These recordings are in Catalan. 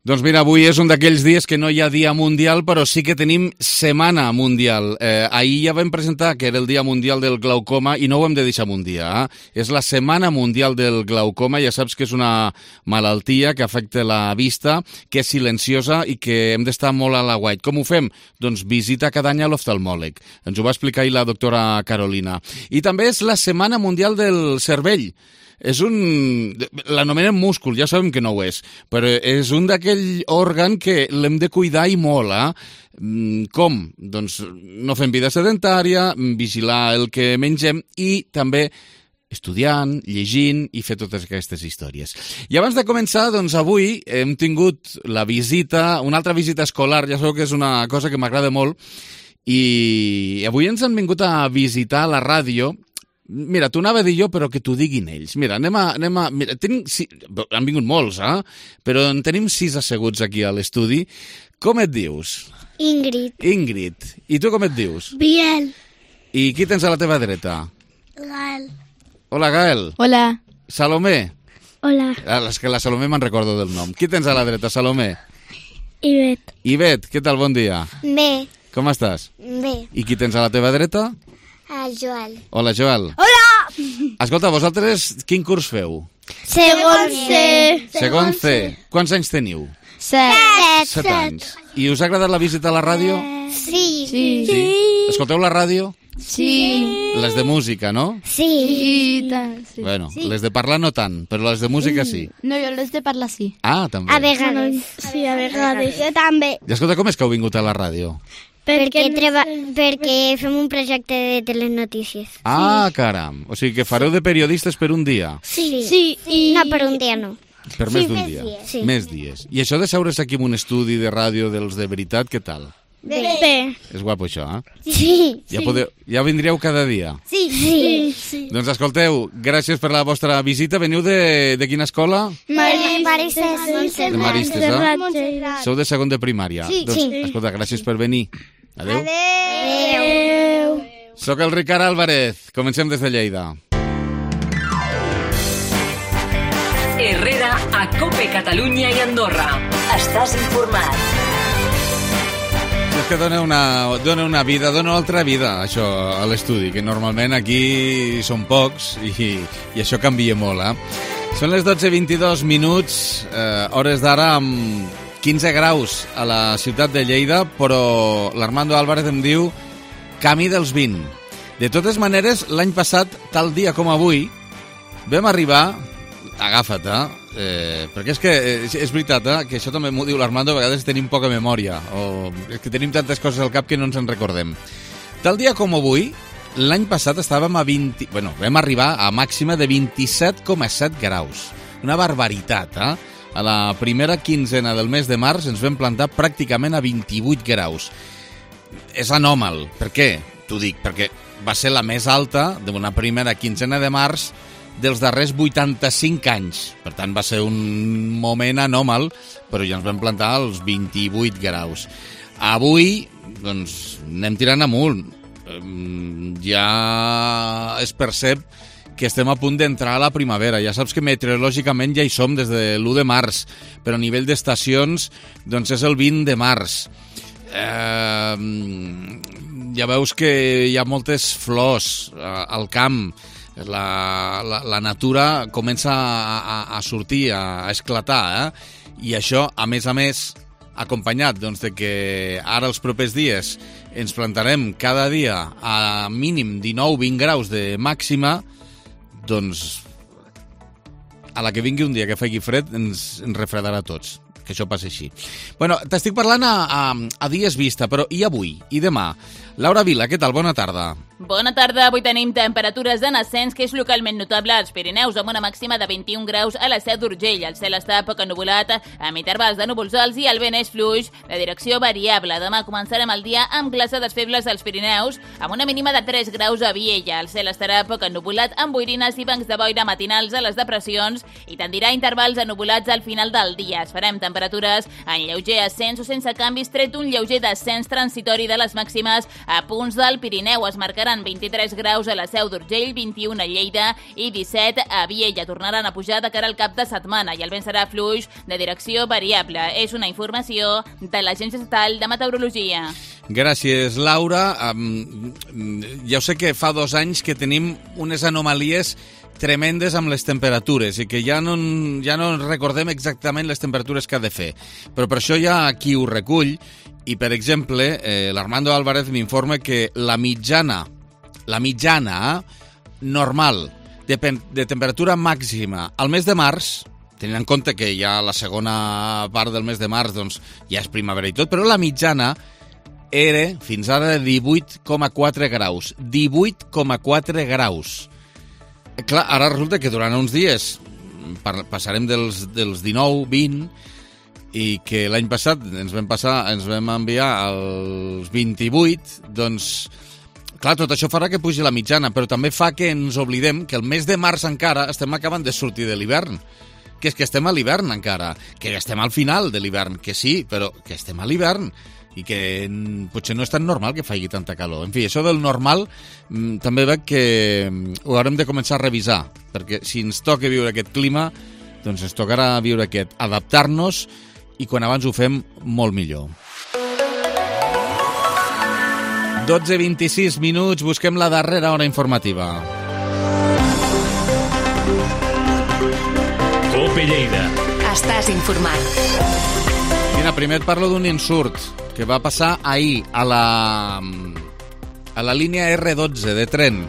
Doncs mira, avui és un d'aquells dies que no hi ha dia mundial, però sí que tenim setmana mundial. Ahir ja vam presentar que era el dia mundial del glaucoma i no ho hem de deixar un dia. És la setmana mundial del glaucoma, ja saps que és una malaltia que afecta la vista, que és silenciosa i que hem d'estar molt a l'aguait. Com ho fem? Doncs visita cada any a l'oftalmòleg. Ens ho va explicar ahir la doctora Carolina. I també és la setmana mundial del cervell. L'anomenen múscul, ja sabem que no ho és, però és un d'aquell òrgan que l'hem de cuidar i molt, Com? Doncs no fem vida sedentària, vigilar el que mengem i també estudiant, llegint i fer totes aquestes històries. I abans de començar, doncs avui hem tingut una altra visita escolar, ja sabeu que és una cosa que m'agrada molt, i avui ens han vingut a visitar a la ràdio. Mira, t'ho anava a dir jo, però que t'ho diguin ells. Mira, anem a... Mira, han vingut molts, però en tenim 6 asseguts aquí a l'estudi. Com et dius? Ingrid. Ingrid. I tu com et dius? Biel. I qui tens a la teva dreta? Gael. Hola, Gael. Hola. Salomé. Hola. És que la Salomé me'n recordo del nom. Qui tens a la dreta, Salomé? Ivet. Ivet, què tal? Bon dia. Bé. Com estàs? Bé. I qui tens a la teva dreta? Joel. Hola, Joel. Hola! Escolta, vosaltres quin curs feu? Segon C. Segon C. Quants anys teniu? 7. 7 anys. I us ha agradat la visita a la ràdio? Sí. Sí. Escolteu la ràdio? Sí. Les de música, no? Sí. I tant, sí. Bueno, les de parlar no tant, però les de música sí. No, jo les de parlar sí. Ah, també. A vegades. Sí, a vegades. Jo també. I escolta, com és que heu vingut a la ràdio? Perquè fem un projecte de telenotícies. Ah, caram. O sigui que fareu de periodistes per un dia. Sí. I... No, per un dia no. Per més d'un dia. Sí. Més dies. I això de seure's aquí en un estudi de ràdio dels de veritat, què tal? Bé. És guapo això, Sí. Ja vindríeu cada dia. Sí. Doncs escolteu, gràcies per la vostra visita. Veniu de quina escola? Maristes. De Maristes, Sou de segon de primària. Sí. Doncs, escolta, gràcies per venir. Adéu. Adéu. Soc el Ricard Álvarez. Comencem des de Lleida. Herrera a COPE Catalunya i Andorra. Estàs informat. És que dona una vida, dona una altra vida, això, a l'estudi, que normalment aquí són pocs i això canvia molt, Són les 12:22 minuts, hores d'ara amb 15 graus a la ciutat de Lleida, però l'Armando Álvarez em diu camí dels 20. De totes maneres, l'any passat, tal dia com avui, vam arribar, agafa't, perquè és que és veritat, que això també m'ho diu l'Armando, a vegades tenim poca memòria, o és que tenim tantes coses al cap que no ens en recordem. Tal dia com avui, l'any passat estàvem vam arribar a màxima de 27,7 graus. Una barbaritat, A la primera quinzena del mes de març ens vam plantar pràcticament a 28 graus. És anòmal. Per què? T'ho dic, perquè va ser la més alta d'una primera quinzena de març dels darrers 85 anys. Per tant, va ser un moment anòmal, però ja ens vam plantar als 28 graus. Avui, doncs, anem tirant amunt. Ja es percep que estem a punt d'entrar a la primavera. Ja saps que meteorològicament ja hi som des de l'1 de març, però a nivell d'estacions doncs és el 20 de març. Ja veus que hi ha moltes flors al camp, la natura comença a sortir, a esclatar, i això, a més, acompanyat doncs, de que ara els propers dies ens plantarem cada dia a mínim 19-20 graus de màxima, doncs a la que vingui un dia que faci fred ens refredarà tots, que això passi així. Bueno, t'estic parlant a dies vista, però i avui? I demà? Laura Vila, què tal? Bona tarda. Bona tarda. Avui tenim temperatures en ascens, que és localment notable als Pirineus, amb una màxima de 21 graus a la Seu d'Urgell. El cel està poc ennuvolat, amb intervals de núvols alts i el vent és fluix, de direcció variable. Demà començarem el dia amb glaçades febles als Pirineus, amb una mínima de 3 graus a Viella. El cel estarà poc ennuvolat, amb boirines i bancs de boira matinals a les depressions i tendirà intervals ennuvolats al final del dia. Es farem temperatures en lleuger ascens o sense canvis, tret un lleuger descens transitori de les màximes a punts del Pirineu. Es marcarà seran 23 graus a la Seu d'Urgell, 21 a Lleida i 17 a Viella. Tornaran a pujar de cara al cap de setmana i el vent serà fluix de direcció variable. És una informació de l'Agència Estatal de Meteorologia. Gràcies, Laura. Ja ho sé que fa 2 anys que tenim unes anomalies tremendes amb les temperatures i que ja no recordem exactament les temperatures que ha de fer. Però per això hi ha qui ho recull i, per exemple, l'Armando Álvarez m'informa que la mitjana normal de temperatura màxima al mes de març, tenint en compte que ja la segona part del mes de març doncs, ja és primavera i tot, però la mitjana era fins ara de 18,4 graus. 18,4 graus. Clar, ara resulta que durant uns dies passarem dels 19, 20, i que l'any passat ens vam enviar als 28, doncs, clar, tot això farà que pugi la mitjana, però també fa que ens oblidem que el mes de març encara estem acabant de sortir de l'hivern. Que és que estem a l'hivern encara, que estem al final de l'hivern, que sí, però que estem a l'hivern i que potser no és tan normal que faci tanta calor. En fi, això del normal també veig que ho haurem de començar a revisar, perquè si ens toca viure aquest clima, doncs ens tocarà viure aquest, adaptar-nos, i quan abans ho fem, molt millor. 12:26 minuts, busquem la darrera hora informativa. Cope Lleida. Estàs informat. Mira, primer et parlo d'un insult que va passar ahir a la línia R12 de tren.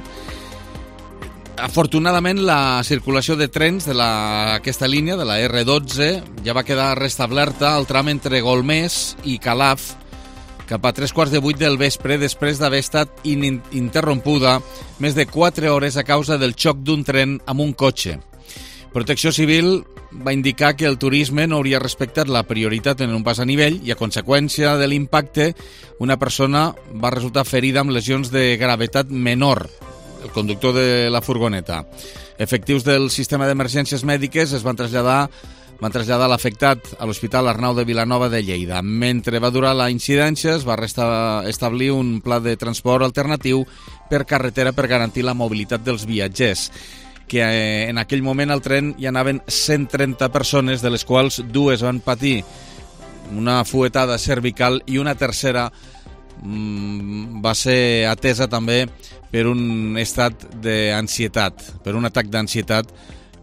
Afortunadament, la circulació de trens d'aquesta línia, de la R12, ja va quedar restablerta al tram entre Golmés i Calaf cap a 7:45 del vespre, després d'haver estat interrompuda més de 4 hores a causa del xoc d'un tren amb un cotxe. Protecció Civil va indicar que el turisme no hauria respectat la prioritat en un pas a nivell i, a conseqüència de l'impacte, una persona va resultar ferida amb lesions de gravetat menor, el conductor de la furgoneta. Efectius del sistema d'emergències mèdiques van traslladar l'afectat a l'Hospital Arnau de Vilanova de Lleida. Mentre va durar la incidència, es va establir un pla de transport alternatiu per carretera per garantir la mobilitat dels viatgers, que en aquell moment al tren hi anaven 130 persones, de les quals 2 van patir una fuetada cervical i una tercera va ser atesa també per un estat d'ansietat, per un atac d'ansietat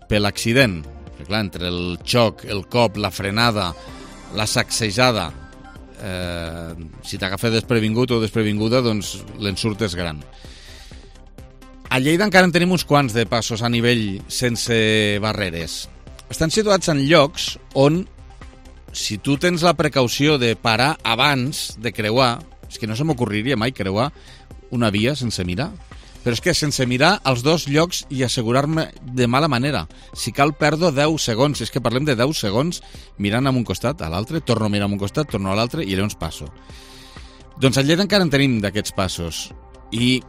per l'accident. Perquè, clar, entre el xoc, el cop, la frenada, la sacsejada, si t'agafa desprevingut o desprevinguda, doncs l'ensurt és gran. A Lleida encara en tenim uns quants de passos a nivell sense barreres. Estan situats en llocs on, si tu tens la precaució de parar abans de creuar, és que no se m'ocorriria mai creuar una via sense mirar, però és que sense mirar als 2 llocs i assegurar-me de mala manera. Si cal, perdo 10 segons, és que parlem de 10 segons mirant a un costat, a l'altre, torno a mirar a un costat, torno a l'altre i llavors passo. Doncs a Lleida encara en tenim d'aquests passos. I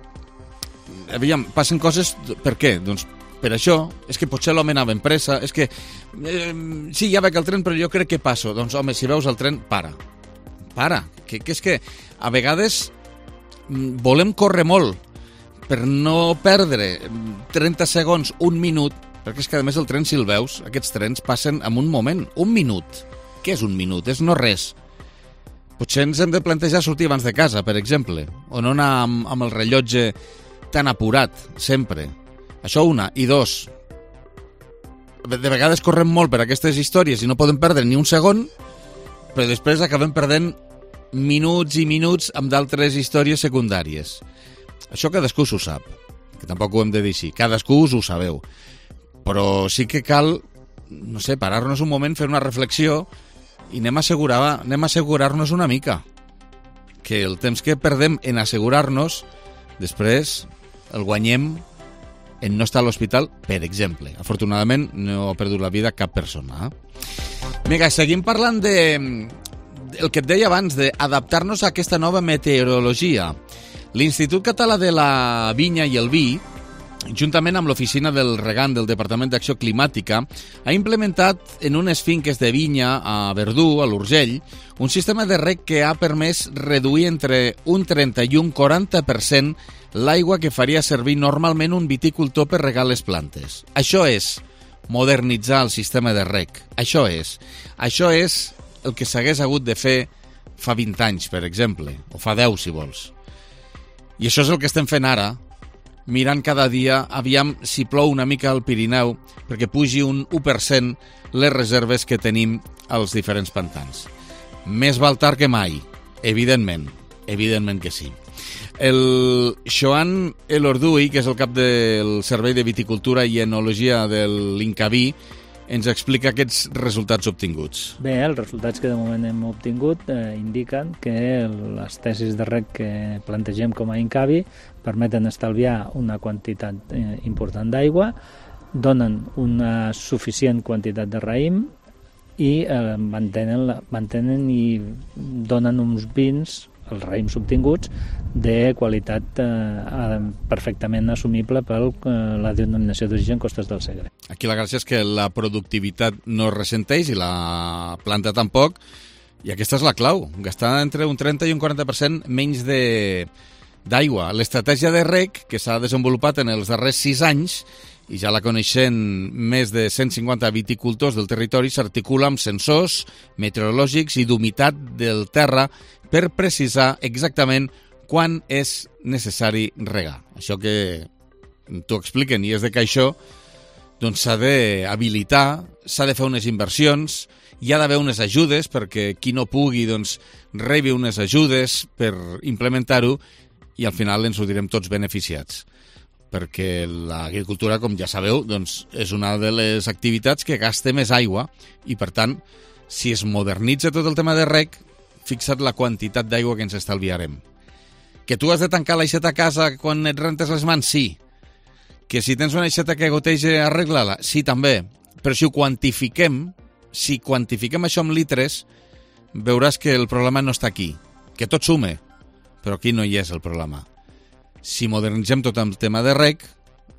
aviam, passen coses, per què? Doncs per això, és que potser l'home anava en pressa, és que sí, ja veig el tren, però jo crec que passo. Doncs home, si veus el tren, para, que és que a vegades volem córrer molt per no perdre 30 segons, un minut, perquè és que a més el tren, si el veus, aquests trens passen en un moment, un minut. Què és un minut? És no res. Potser ens hem de plantejar sortir abans de casa, per exemple, o no anar amb el rellotge tan apurat, sempre. Això una. I 2, de vegades correm molt per aquestes històries i no podem perdre ni un segon, però després acabem perdent minuts i minuts amb d'altres històries secundàries. Això cadascú s'ho sap, que tampoc ho hem de dir així. Cadascú us ho sabeu. Però sí que cal, no sé, parar-nos un moment, fer una reflexió i anem a assegurar-nos una mica. Que el temps que perdem en assegurar-nos, després el guanyem en no estar a l'hospital, per exemple. Afortunadament no ha perdut la vida cap persona. Vinga, seguim parlant el que et deia abans, d'adaptar-nos a aquesta nova meteorologia. L'Institut Català de la Vinya i el Vi juntament amb l'Oficina del Regant del Departament d'Acció Climàtica, ha implementat en unes finques de vinya a Verdú, a l'Urgell, un sistema de reg que ha permès reduir entre un 30 i un 40% l'aigua que faria servir normalment un viticultor per regar les plantes. Això és modernitzar el sistema de reg. Això és el que s'hagués hagut de fer fa 20 anys, per exemple, o fa 10, si vols. I això és el que estem fent ara, mirant cada dia, aviam si plou una mica al Pirineu, perquè pugi un 1% les reserves que tenim als diferents pantans. Més val tard que mai, evidentment que sí. El Joan Elorduy, que és el cap del Servei de Viticultura i Enologia de l'Incavi, ens explica aquests resultats obtinguts. Bé, els resultats que de moment hem obtingut indiquen que les tesis de reg que plantegem com a Incavi permeten estalviar una quantitat important d'aigua, donen una suficient quantitat de raïm i mantenen i donen uns vins, els raïms obtinguts, de qualitat perfectament assumible per la denominació d'origen Costes del Segre. Aquí la gràcia és que la productivitat no es ressenteix i la planta tampoc, i aquesta és la clau, gastar entre un 30 i un 40% menys d'aigua. L'estratègia de reg, que s'ha desenvolupat en els darrers 6 anys, i ja la coneixen més de 150 viticultors del territori, s'articula amb sensors meteorològics i d'humitat del terra per precisar exactament quan és necessari regar. Això que t'ho expliquen i és de que això doncs, s'ha d'habilitar, s'ha de fer unes inversions, hi ha d'haver unes ajudes perquè qui no pugui doncs, rebi unes ajudes per implementar-ho i al final ens ho direm tots beneficiats. Perquè l'agricultura, com ja sabeu, doncs, és una de les activitats que gasta més aigua i, per tant, si es modernitza tot el tema de reg, fixa't la quantitat d'aigua que ens estalviarem. Que tu has de tancar l'aixeta a casa quan et rentes les mans? Sí. Que si tens una aixeta que goteja, arregla-la? Sí, també. Però si ho quantifiquem, això en litres, veuràs que el problema no està aquí. Que tot sume, però aquí no hi és el problema. Si modernitzem tot el tema de reg,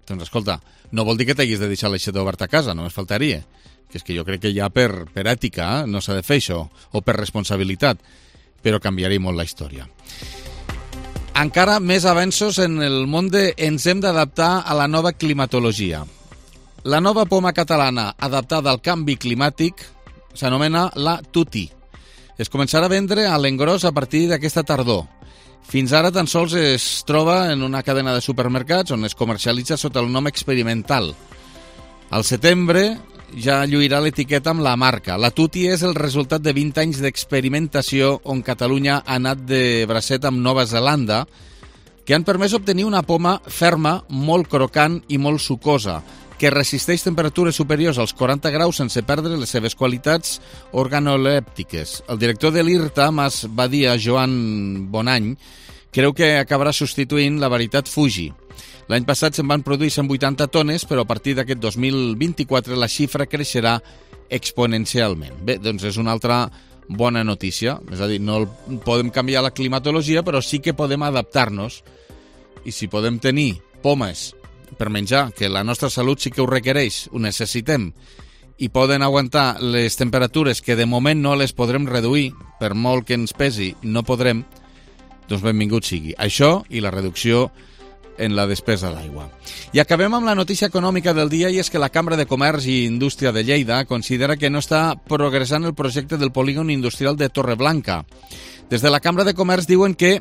doncs escolta, no vol dir que t'haguis de deixar l'aixeta oberta a casa, només faltaria. Que és que jo crec que ja per ètica no s'ha de fer això, o per responsabilitat, però canviaria molt la història. Encara més avenços en el món de ens hem d'adaptar a la nova climatologia. La nova poma catalana adaptada al canvi climàtic s'anomena la Tutti. Es començarà a vendre a l'engròs a partir d'aquesta tardor. Fins ara tan sols es troba en una cadena de supermercats on es comercialitza sota el nom experimental. Al setembre ja lluirà l'etiqueta amb la marca. La Tutti és el resultat de 20 anys d'experimentació on Catalunya ha anat de bracet amb Nova Zelanda, que han permès obtenir una poma ferma, molt crocant i molt sucosa, que resisteix temperatures superiors als 40 graus sense perdre les seves qualitats organolèptiques. El director de l'IRTA, Mas Badia, Joan Bonany, creu que acabarà substituint la varietat Fuji. L'any passat se'n van produir 180 tones, però a partir d'aquest 2024 la xifra creixerà exponencialment. Bé, doncs és una altra bona notícia. És a dir, no podem canviar la climatologia, però sí que podem adaptar-nos. I si podem tenir pomes per menjar, que la nostra salut sí que ho requereix, ho necessitem, i poden aguantar les temperatures que de moment no les podrem reduir, per molt que ens pesi, no podrem, doncs benvingut sigui. Això i la reducció en la despesa d'aigua. I acabem amb la notícia econòmica del dia, i és que la Cambra de Comerç i Indústria de Lleida considera que no està progressant el projecte del polígon industrial de Torreblanca. Des de la Cambra de Comerç diuen que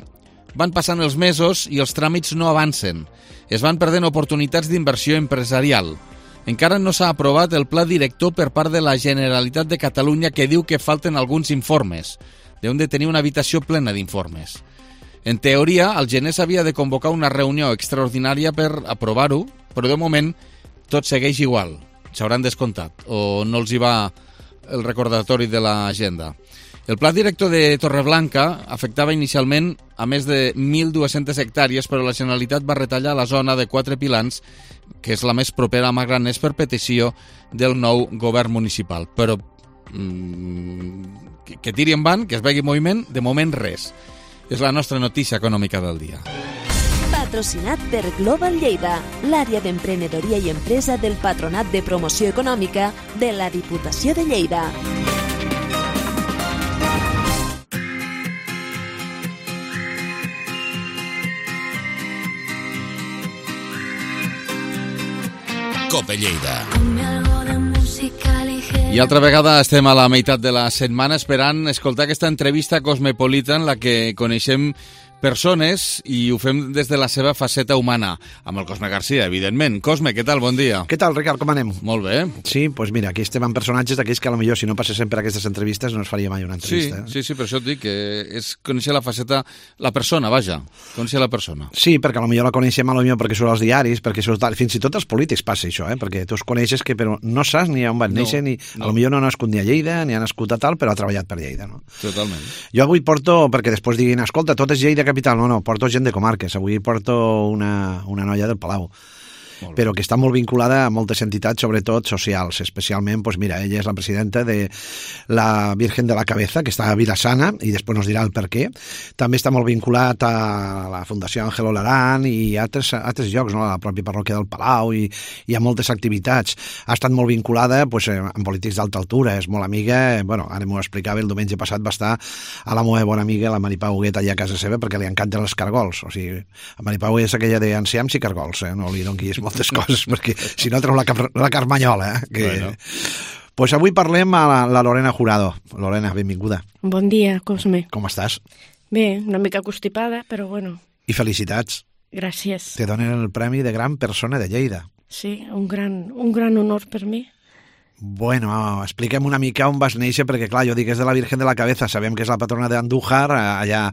van passant els mesos i els tràmits no avancen. Es van perdent oportunitats d'inversió empresarial. Encara no s'ha aprovat el pla director per part de la Generalitat de Catalunya, que diu que falten alguns informes. Deuen de tenir una habitació plena d'informes. En teoria, al gener s'havia de convocar una reunió extraordinària per aprovar-ho, però de moment tot segueix igual. S'hauran descomptat o no els hi va el recordatori de l'agenda. El pla director de Torreblanca afectava inicialment a més de 1.200 hectàrees, però la Generalitat va retallar la zona de 4 pilans, que és la més propera a Magraners, per petició del nou govern municipal. Però que tiri endavant, que es vegi moviment, de moment res. És la nostra notícia econòmica del dia. patrocinat per Global Lleida, l'àrea d'emprenedoria i empresa del Patronat de Promoció Econòmica de la Diputació de Lleida. Cope Lleida. I altra vegada estem a la meitat de la setmana esperant escoltar aquesta entrevista cosmopolita en la que coneixem persones i ho fem des de la seva faceta humana, amb el Cosme Garcia, evidentment. Cosme, què tal? Bon dia. Què tal, Ricard? Com anem? Molt bé. Sí, doncs mira, aquí estem amb personatges d'aquells que potser si no passessin per aquestes entrevistes no es faria mai una entrevista. Sí, per això et dic que és conèixer la faceta, la persona, vaja, conèixer la persona. Sí, perquè potser la coneixem perquè surt als diaris, perquè surt, fins i tot als polítics passa això, perquè tu els coneixes que però no saps ni on van néixer, ni potser no ha nascut ni a Lleida, ni ha nascut a tal, però ha treballat per Lleida, no? Totalment. Jo avui porto, perquè després diguin, escolta, tot és Lleida capital, no, porto gent de comarques, avui porto una noia del Palau, però que està molt vinculada a moltes entitats, sobretot socials, especialment, doncs mira, ella és la presidenta de la Virgen de la Cabeza, que està a Vilassana, i després nos dirà el per què. També està molt vinculat a la Fundació Ángel Olarán i a altres llocs, no? A la pròpia parròquia del Palau i a moltes activitats. Ha estat molt vinculada amb polítics d'alta altura, és molt amiga, ara m'ho explicava, el diumenge passat va estar a la meva bona amiga, la Maripau Huguet, allà a casa seva, perquè li encanten els cargols. O sigui, la Maripau és aquella d'enciams i cargols, no li donquis moltes coses, perquè si no treu la carmanyola. Bueno. Pues avui parlem a la Lorena Jurado. Lorena, benvinguda. Bon dia, Cosme. Com estàs? Bé, una mica constipada, però bueno. I felicitats. Gràcies. Te donen el premi de gran persona de Lleida. Sí, un gran honor per mi. Bueno, expliquem una mica on vas néixer, perquè clar, jo dic és de la Virgen de la Cabeza, sabem que és la patrona d'Andújar, allà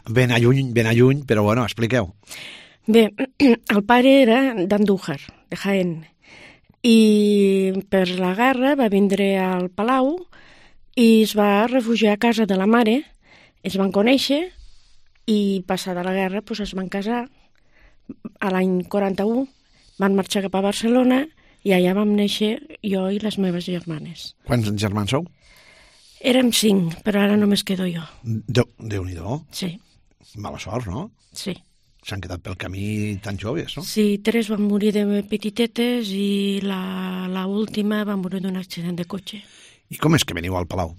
ben a lluny, però bueno, expliqueu. Bé, el pare era d'Andújar, de Jaén, i per la guerra va vindre al Palau i es va refugiar a casa de la mare, es van conèixer i passada la guerra doncs es van casar. A l'any 41 van marxar cap a Barcelona i allà vam néixer jo i les meves germanes. Quants germans sou? Érem 5, però ara només quedo jo. Déu-n'hi-do. Sí. Mala sort, no? Sí. S'han quedat pel camí tan joves, no? Sí, 3 van morir de petitetes i la última va morir d'un accident de cotxe. I com és que veniu al Palau?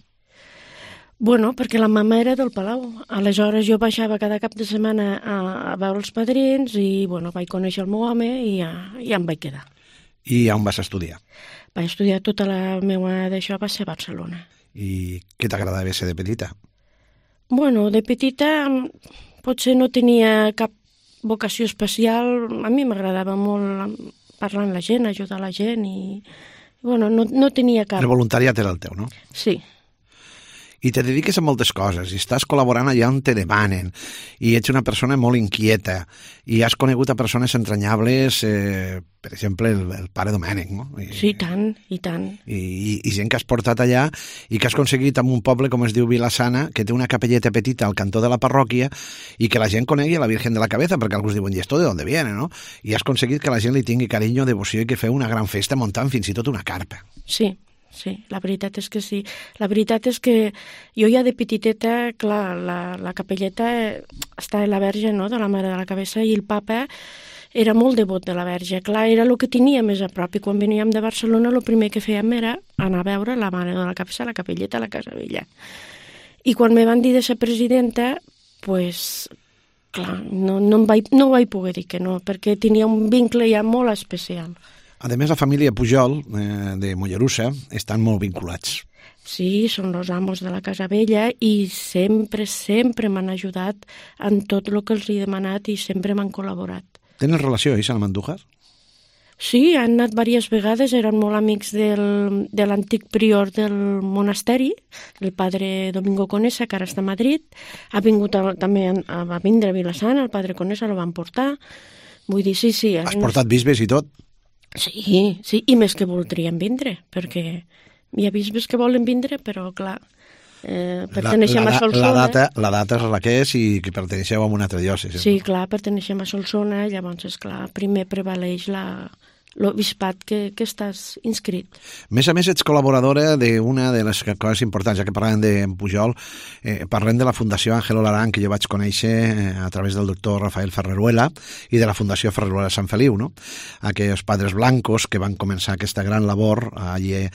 Bueno, perquè la mama era del Palau. Aleshores jo baixava cada cap de setmana a veure els padrins i bueno, vaig conèixer el meu home i ja em vaig quedar. I on vas estudiar? Vaig estudiar tota la meva d'això, va ser a Barcelona. I què t'agradava ser de petita? Bueno, de petita potser no tenia cap vocació especial. A mi m'agradava molt parlar amb la gent, ajudar la gent i bueno, no tenia cap... El voluntariat era el teu, no? Sí. I te dediques a moltes coses, i estàs col·laborant allà on te demanen, i ets una persona molt inquieta, i has conegut a persones entranyables, per exemple, el pare Domènec, no? Sí, tant, i tant. I gent que has portat allà, i que has aconseguit en un poble, com es diu Vilassana, que té una capelleta petita al cantó de la parròquia, i que la gent conegui a la Virgen de la Cabeza, perquè alguns diuen, ¿y esto de dónde viene, no? I has aconseguit que la gent li tingui carinyo, devoció, i que feu una gran festa muntant fins i tot una carpa. Sí. Sí, la veritat és que sí. La veritat és que jo ja de petiteta, clar, la capelleta està a la Verge, no?, de la Mare de la Cabeza, i el papa era molt devot de la Verge. Clar, era el que tenia més a prop, i quan veníem de Barcelona el primer que fèiem era anar a veure la Mare de la Cabeza, la capelleta a la Casa Vella. I quan me van dir de ser presidenta, pues, clar, no vaig poder dir que no, perquè tenia un vincle ja molt especial. A més, la família Pujol, de Mollerussa, estan molt vinculats. Sí, són els amos de la Casa Vella i sempre m'han ajudat en tot el que els he demanat i sempre m'han col·laborat. Tenen relació, ells, amb Andújar? Sí, han anat diverses vegades, eren molt amics de l'antic prior del monasteri, el padre Domingo Conesa, que ara està a Madrid. Ha vingut també a vindre a Vilassana, el padre Conesa el van portar. Vull dir, sí. Has portat bisbes i tot? Sí, i més que voldrien vindre, perquè hi ha bisbes que volen vindre, però clar, perteneixem a Solsona. La data és la que és i que perteneixeu a una altra diòcesi. Sí, clar, perteneixem a Solsona, llavors, esclar, primer prevaleix la l'obispat que estàs inscrit. A més, ets col·laboradora d'una de les coses importants, ja que parlem d'en Pujol, parlem de la Fundació Ángel Olarán, que jo vaig conèixer a través del doctor Rafael Ferreruela i de la Fundació Ferreruela Sant Feliu, no? Aquells padres blancos que van començar aquesta gran labor allí,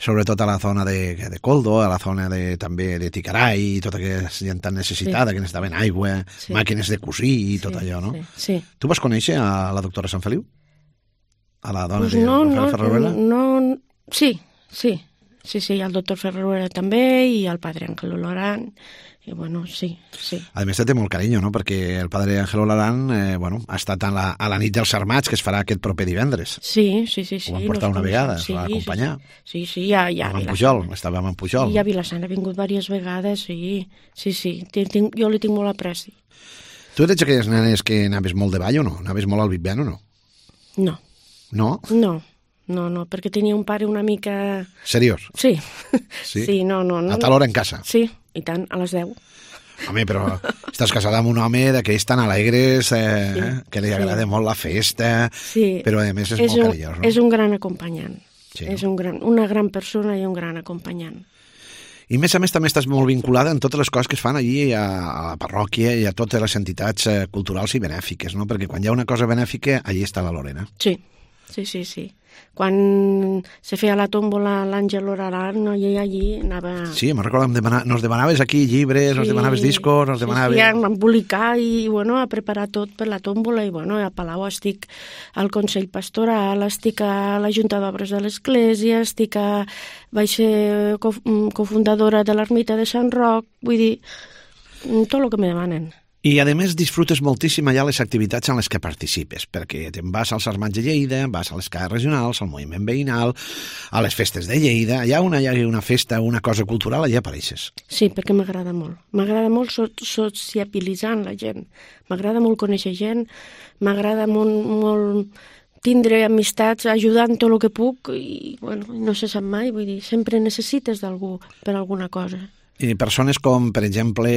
sobretot a la zona de Coldo, a la zona també de Ticaray, tota aquesta gent tan necessitada, que necessitaven aigua, màquines de cosir i tot allò, no? Sí. Tu vas conèixer a la doctora Sant Feliu? A la dona de Rafael Ferreruela? No, sí, el doctor Ferreruela també, i el padre Ángel Olarán, i bueno, sí. A més, té molt carinyo, no?, perquè el padre Ángel Olarán ha estat a la nit dels Armats, que es farà aquest proper divendres. Sí. Ho van portar una vegada, es va acompanyar. Sí, ja amb en Pujol, estàvem amb Pujol. I a Vilassana ha vingut diverses vegades, sí. Jo li tinc molt apreci. Tu eres aquelles nenes que anaves molt de ball o no? Anaves molt al Big Ben o no? No. No? No, perquè tenia un pare una mica... Seriós? Sí. Sí, no. A tal hora en casa? Sí, i tant, a les 10. Home, però estàs casada amb un home d'aquells tan alegres, que li agrada molt la festa, però a més és molt carinyós, no? És un gran acompanyant. Sí. És una gran persona i un gran acompanyant. I a més també estàs molt vinculada en totes les coses que es fan allí a la parròquia i a totes les entitats culturals i benèfiques, no? Perquè quan hi ha una cosa benèfica, allí està la Lorena. Sí. Quan se feia la tòmbola l'Àngel Olarán, no, i allí anava... Sí, me'n recordo, nos demanaves aquí llibres, nos demanaves discos, nos demanaves... Sí, a embolicar i, a preparar tot per la tòmbola, i, a Palau estic al Consell Pastoral, estic a la Junta d'Obres de l'Església, vaig ser cofundadora de l'Ermita de Sant Roc, vull dir, tot el que me demanen. I, a més, disfrutes moltíssim allà les activitats en les que participes, perquè te'n vas als Armats de Lleida, vas a les cases regionals, al moviment veïnal, a les festes de Lleida, allà on hi ha una festa, una cosa cultural, allà apareixes. Sí, perquè m'agrada molt. M'agrada molt sociabilitzar amb la gent. M'agrada molt conèixer gent, m'agrada molt tindre amistats, ajudant tot el que puc, i, no se sap mai, vull dir, sempre necessites d'algú per alguna cosa. I persones com, per exemple,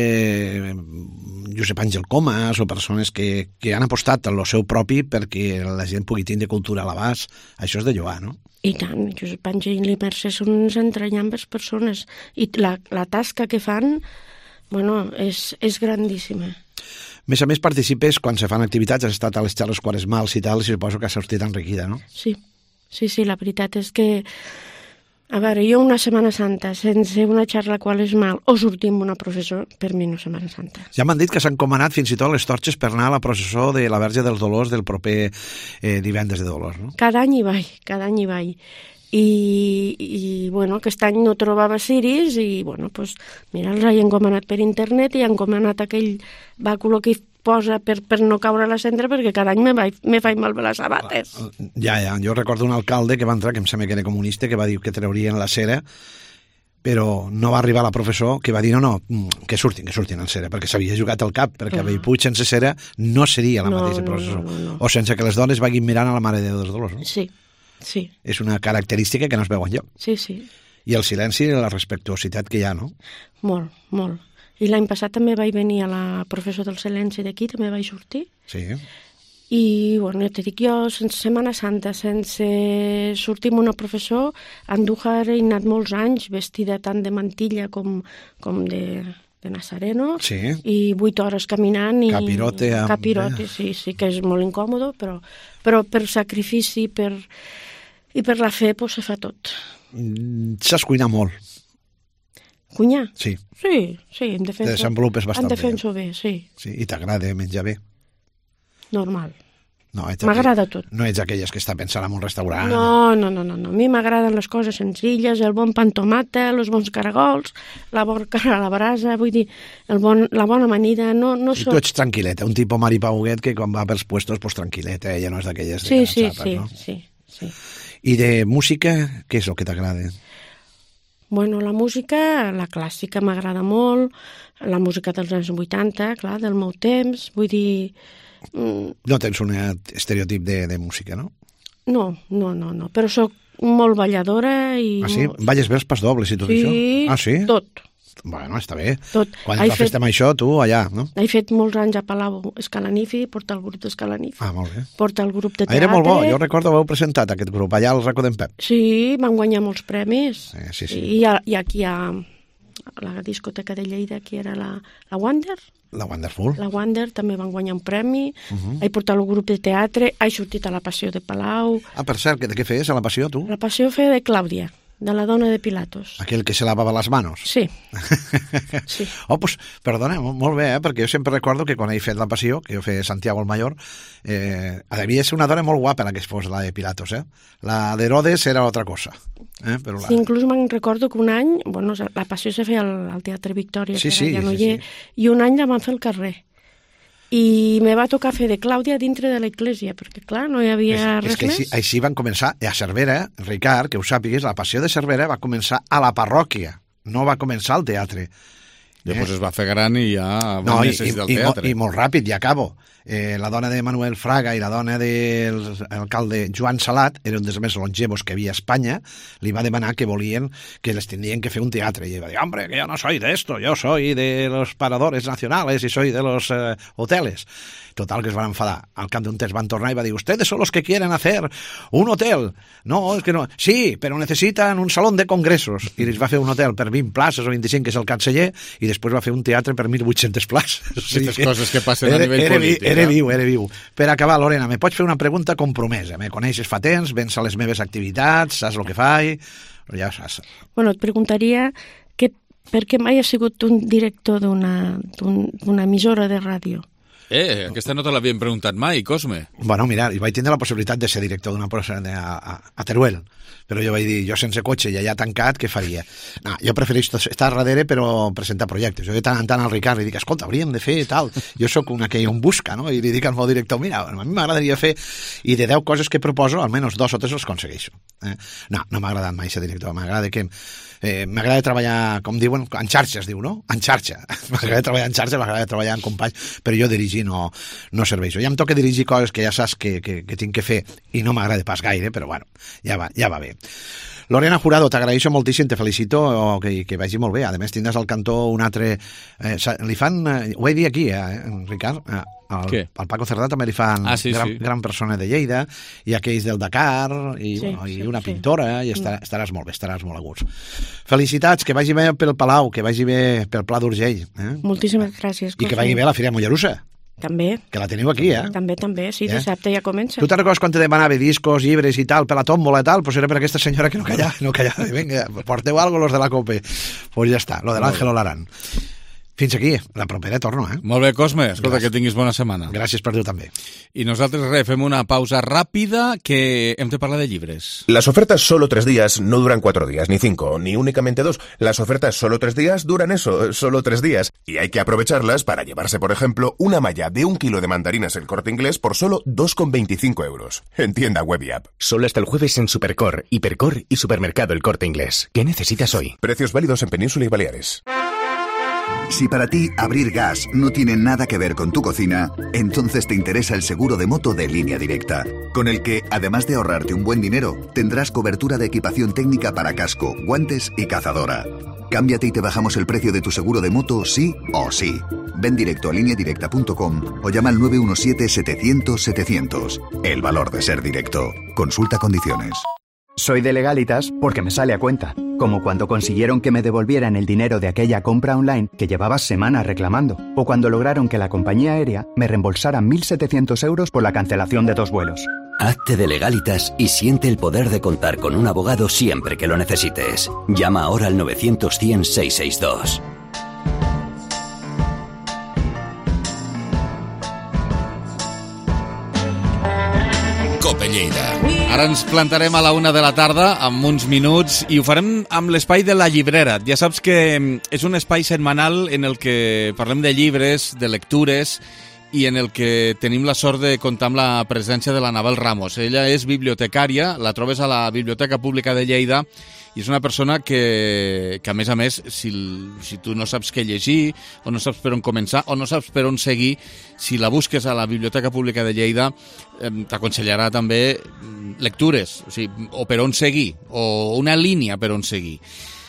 Josep Àngel Comas, o persones que han apostat en el seu propi perquè la gent pugui tindre cultura a l'abast, això és de lloar, no? I tant, Josep Àngel i Mercè són unes entranyables persones, i la tasca que fan, és grandíssima. A més, participes quan se fan activitats, has estat a les xarles quaresmals i tal, i suposo que has sortit enriquida, no? Sí, la veritat és que... A veure, jo una Setmana Santa sense una xarra quaresmal o sortir amb una processó, per mi no és Setmana Santa. Ja m'han dit que s'han comanat fins i tot les torxes per anar a la processó de la Verge dels Dolors del proper divendres de Dolors, no? Cada any hi vaig. I aquest any no trobava ciris i, mira, els he encomanat per internet i he encomanat aquell bàculo que posa per no caure a la cendra, perquè cada any me faig malbé les sabates. Ja, jo recordo un alcalde que va entrar, que em sembla que era comunista, que va dir que traurien la cera, però no va arribar la professor, que va dir no, que surtin en cera, perquè s'havia jugat al cap, perquè a Bellpuig sense cera no seria la mateixa processó. No. O sense que les dones vagin mirant a la Mare de Déu dels Dolors, no? Sí. És una característica que no es veu enlloc. Sí. I el silenci i la respectuositat que hi ha, no? Molt. I l'any passat també vaig venir a la professor del silenci d'aquí, també vaig sortir. Sí. I, ja t'he dit, jo, sense Setmana Santa, sense sortir amb una professor, a Andújar he anat molts anys vestida tant de mantilla com de nazareno, i 8 hores caminant. Capirote. Capirote, sí, que és molt incòmode, però per sacrifici i per la fe se fa tot. Saps cuinar molt? Cuinar? Sí. Sí, em defenso. Te desenvolupes bastant bé. Em defenso bé, sí. Sí, i t'agrada menjar bé? Normal. No, m'agrada tot. No ets aquelles que està pensant en un restaurant. No. A mi m'agraden les coses senzilles, el bon pa amb tomata, els bons caragols, la bona cara a la brasa, vull dir, la bona amanida, no I tu ets tranquil·leta, un tipus Mari Pauguet que quan va pels puestos, pues tranquil·leta, ella no és d'aquelles... Sí. I de música, què és el que t'agrada? La música, la clàssica m'agrada molt, la música dels anys 80, clar, del meu temps, vull dir... No tens un estereotip de música, no? No, però sóc molt balladora i... Ah, sí? Balles bé els pasdobles i tot això? Ah, sí? Tot. Bueno, està bé. Tot. Quan ens fem això, tu allà, no? He fet molts anys a Palau Escalanifi, porta el grup d'Escalanifi. Molt bé. Porta el grup de teatre. Era molt bo, jo recordo que heu presentat aquest grup allà al Racó d'en Pep. Sí, van guanyar molts premis. Sí. I aquí a la discoteca de Lleida, que era la Wander. La Wonderful. La Wander també van guanyar un premi. He portat el grup de teatre, he sortit a la Passió de Palau. Per cert, de què feies a la Passió, tu? La Passió feia de Clàudia, de la dona de Pilatos. Aquell que se lavava les manos? Sí. Sí. Oh, pues, perdona, molt bé, perquè jo sempre recordo que quan he fet la Passió, que jo feia Santiago el Mayor, devia ser una dona molt guapa la que es fos la de Pilatos, La d'Herodes era altra cosa. Però Sí, inclús me'n recordo que un any, bueno, la Passió se feia al Teatre Victòria, sí, que ara ja no hi és, i un any la van fer al carrer. I me va tocar fer de Clàudia dintre de l'església, perquè, clar, no hi havia res més. És que així van començar, a Cervera, Ricard, que ho sàpigues, la Passió de Cervera va començar a la parròquia, no va començar al teatre. Després es va fer gran i ja va necessitar el teatre. I molt ràpid, ja acabo. La dona de Manuel Fraga i la dona de l'alcalde Joan Salat, eren dels més longevos que havia a Espanya, li va demanar que volien, que les tindrien que fer un teatre. I va dir, hombre, que yo no soy de esto, yo soy de los paradores nacionales y soy de los hoteles. Total, que es van enfadar. Al cap d'un temps van tornar i va dir, ustedes son los que quieren hacer un hotel. No, es que no. Sí, pero necesitan un salón de congresos. I les va fer un hotel per 20 places o 25, que és el canceller, i després va fer un teatre per 1.800 places. Aquestes coses que passen a nivell polític. Era viu. Per acabar, Lorena, me pots fer una pregunta compromesa? Me coneixes fa temps, vens a les meves activitats, saps el que faig, ja saps. Bueno, et preguntaria que per què mai has sigut un director d'una emissora de ràdio? Aquesta no te l'havien preguntat mai, Cosme. Bueno, mira, vaig tindre la possibilitat de ser director d'una empresa a Teruel, però jo vaig dir, jo sense cotxe i allà tancat, què faria? No, jo prefereixo estar darrere però presentar projectes. Jo de tant en tant al Ricard li dic, escolta, hauríem de fer tal. Jo sóc una que un busca, no? I li dic al meu director, mira, a mi m'agradaria fer, i de 10 coses que proposo, almenys 2 o 3 els aconsegueixo. No m'ha agradat mai ser director, m'agrada treballar, com diuen, en xarxa es diu, no? En xarxa. M'agrada treballar en xarxa, m'agrada treballar en companys, però jo dirigir no serveixo. Ja em toca dirigir coses que ja saps que tinc que fer i no m'agrada pas gaire, però bueno, ja va bé. Lorena Jurado, t'agraeixo moltíssim, te felicito, que vagi molt bé. A més, tindràs al cantó un altre... li fan... ho he dit aquí, Ricard, al Paco Cerdà també li fan gran persona de Lleida, i aquells del Dakar, i una pintora, i estaràs molt bé, estaràs molt a gust. Felicitats, que vagi bé pel Palau, que vagi bé pel Pla d'Urgell. Moltíssimes gràcies. I que vagi bé a la Fira Mollerussa. També. Que la teniu aquí, També, sí, dissabte ja comença. Tu te'n recordes quan te demanava discos, llibres i tal, per la tòmbola i tal? Pues era per aquesta senyora que no callava. Vinga, porteu algo los de la COPE. Pues ja està, lo de l'Àngel Olarán. Fins aquí, la propera torno, Molt bé, Cosme, escolta, que tinguis bona setmana. Gràcies per tu també. I nosaltres fem una pausa ràpida que hem de parlar de llibres. Las ofertas solo 3 días no duran 4 días, ni 5, ni únicamente 2. Las ofertas solo 3 días duran eso, solo 3 días. Y hay que aprovecharlas para llevarse, por ejemplo, una malla de 1 kilo de mandarinas El Corte Inglés por solo 2,25 euros. En tienda web y app. Solo hasta el jueves en Supercor, Hipercor y Supermercado El Corte Inglés. ¿Qué necesitas hoy? Precios válidos en Península y Baleares. Si para ti abrir gas no tiene nada que ver con tu cocina, entonces te interesa el seguro de moto de Línea Directa, con el que, además de ahorrarte un buen dinero, tendrás cobertura de equipación técnica para casco, guantes y cazadora. Cámbiate y te bajamos el precio de tu seguro de moto sí o sí. Ven directo a lineadirecta.com o llama al 917-700-700. El valor de ser directo. Consulta condiciones. Soy de Legalitas porque me sale a cuenta, como cuando consiguieron que me devolvieran el dinero de aquella compra online que llevaba semanas reclamando, o cuando lograron que la compañía aérea me reembolsara 1.700 euros por la cancelación de 2 vuelos. Hazte de Legalitas y siente el poder de contar con un abogado siempre que lo necesites. Llama ahora al 900-100-662. Cope Lleida. Ara ens plantarem a la 1 de la tarda, amb uns minuts, i ho farem amb l'espai de la llibrera. Ja saps que és un espai setmanal en el que parlem de llibres, de lectures, i en el que tenim la sort de comptar amb la presència de l'Anabel Ramos. Ella és bibliotecària, la trobes a la Biblioteca Pública de Lleida, i és una persona que a més, si tu no saps què llegir, o no saps per on començar, o no saps per on seguir, si la busques a la Biblioteca Pública de Lleida, t'aconsellarà també lectures, o per on seguir, o una línia per on seguir.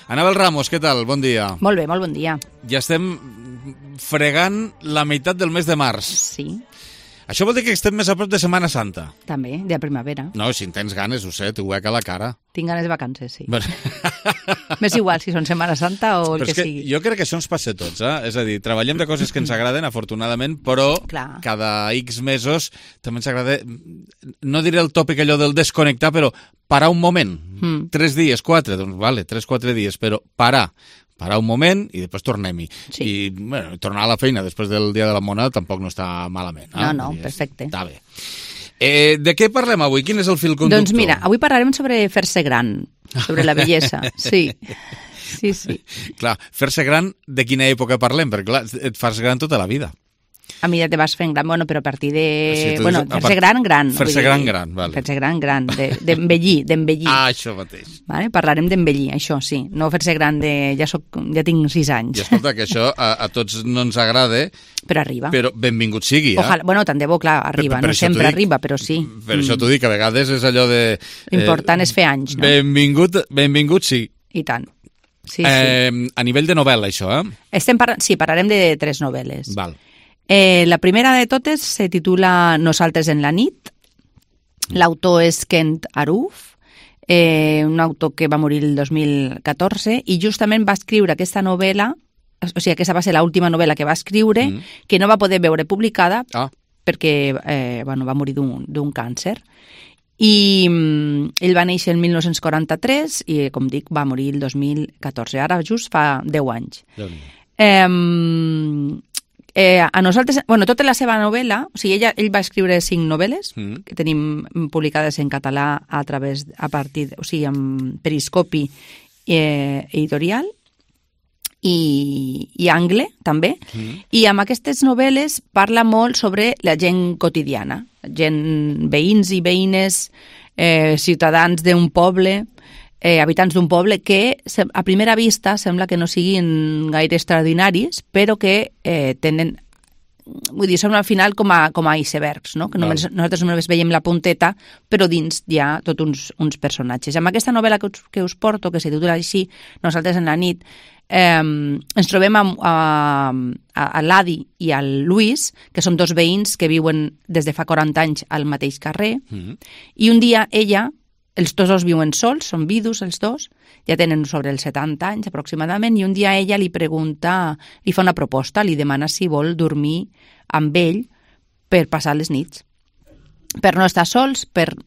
Anabel Ramos, què tal? Bon dia. Molt bé, molt bon dia. Ja estem fregant la meitat del mes de març. Sí. Això vol dir que estem més a prop de Setmana Santa. També, de primavera. No, si en tens ganes, ho sé, t'ho veig a la cara. Tinc ganes de vacances, sí. Bueno. M'és igual si són Setmana Santa o el Però que és sigui. Jo crec que això ens passa a tots, És a dir, treballem de coses que ens agraden, afortunadament, però Clar. cada X mesos també ens agrada, no diré el tòpic allò del desconnectar, però parar un moment. 3 dies, 4, doncs vale, 3-4 dies, però parar un moment i després tornem-hi. Sí. I bueno, tornar a la feina després del Dia de la Moneda tampoc no està malament. No, perfecte. Està bé. De què parlem avui? Quin és el fil conductor? Doncs mira, avui parlarem sobre fer-se gran, sobre la bellesa. Sí. Clar, fer-se gran, de quina època parlem? Perquè clar, et fas gran tota la vida. A mi ja te vas fent gran, bueno, però a partir de... Sí, bueno, fer-se gran. Fer-se gran, vale. Fer-se gran, d'envellir. Ah, això mateix. Vale? Parlarem d'envellir, això sí. No fer-se gran de... Ja tinc 6 anys. I escolta, que això a tots no ens agrada, però arriba. Però benvingut sigui, Ojalà, bueno, tant de bo, clar, arriba. No sempre arriba, però sí. Per això t'ho dic, que a vegades és allò de... Important és fer anys, no? Benvingut sí. I tant. Sí. A nivell de novel·la, això, Sí, parlarem de 3 novel·les. Val. La primera de totes se titula Nosaltres en la nit. L'autor és Kent Aruf, un autor que va morir el 2014 i justament va escriure aquesta novel·la, o sigui, aquesta va ser l'última novel·la que va escriure, que no va poder veure publicada perquè va morir d'un càncer. I ell va néixer el 1943 i, com dic, va morir el 2014. Ara just fa 10 anys. A nosaltres, bueno, tota la seva novel·la, o sigui, ell va escriure 5 novel·les que tenim publicades en català o sigui, amb Periscopi editorial i Angle, també. I amb aquestes novel·les parla molt sobre la gent quotidiana, veïns i veïnes, ciutadans d'un poble, habitants d'un poble que a primera vista sembla que no siguin gaire extraordinaris, però que tenen, vull dir, són al final com a icebergs, no? Que nosaltres només veiem la punteta, però dins hi ha tots uns personatges. Amb aquesta novel·la que us porto, que se titula així, Nosaltres en la nit, ens trobem a l'Adi i al Luis, que són 2 veïns que viuen des de fa 40 anys al mateix carrer, i un dia ella... Els dos viuen sols, són vidus els dos, ja tenen sobre els 70 anys aproximadament, i un dia ella li fa una proposta, li demana si vol dormir amb ell per passar les nits. Per no estar sols, per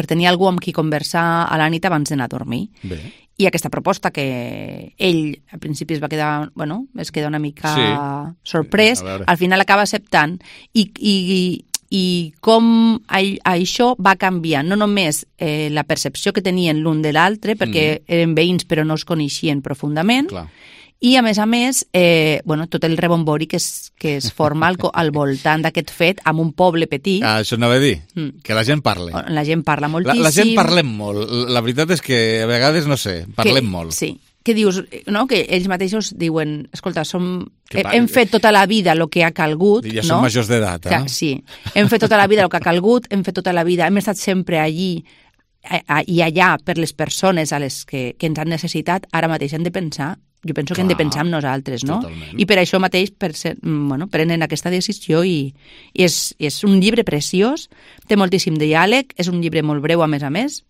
tenir algú amb qui conversar a la nit abans d'anar a dormir. Bé. I aquesta proposta que ell al principi es queda una mica sorprès, al final acaba acceptant i com això va canviar no només la percepció que tenien l'un de l'altre, perquè eren veïns però no es coneixien profundament, i a més, tot el rebombori que es forma al voltant d'aquest fet amb un poble petit. Això anava a dir, que la gent parla. La gent parla moltíssim. La gent parlem molt. La veritat és que a vegades, no sé, parlem molt. Sí. Que dius, no? Que ells mateixos diuen, escolta, hem fet tota la vida el que ha calgut. Ja som majors d'edat, Sí, hem fet tota la vida el que ha calgut, hem fet tota la vida, hem estat sempre allí i allà per les persones a les que ens han necessitat, ara mateix hem de pensar, jo penso que hem de pensar en nosaltres, no? Totalment. I per això mateix prenen aquesta decisió i és un llibre preciós, té moltíssim diàleg, és un llibre molt breu a més,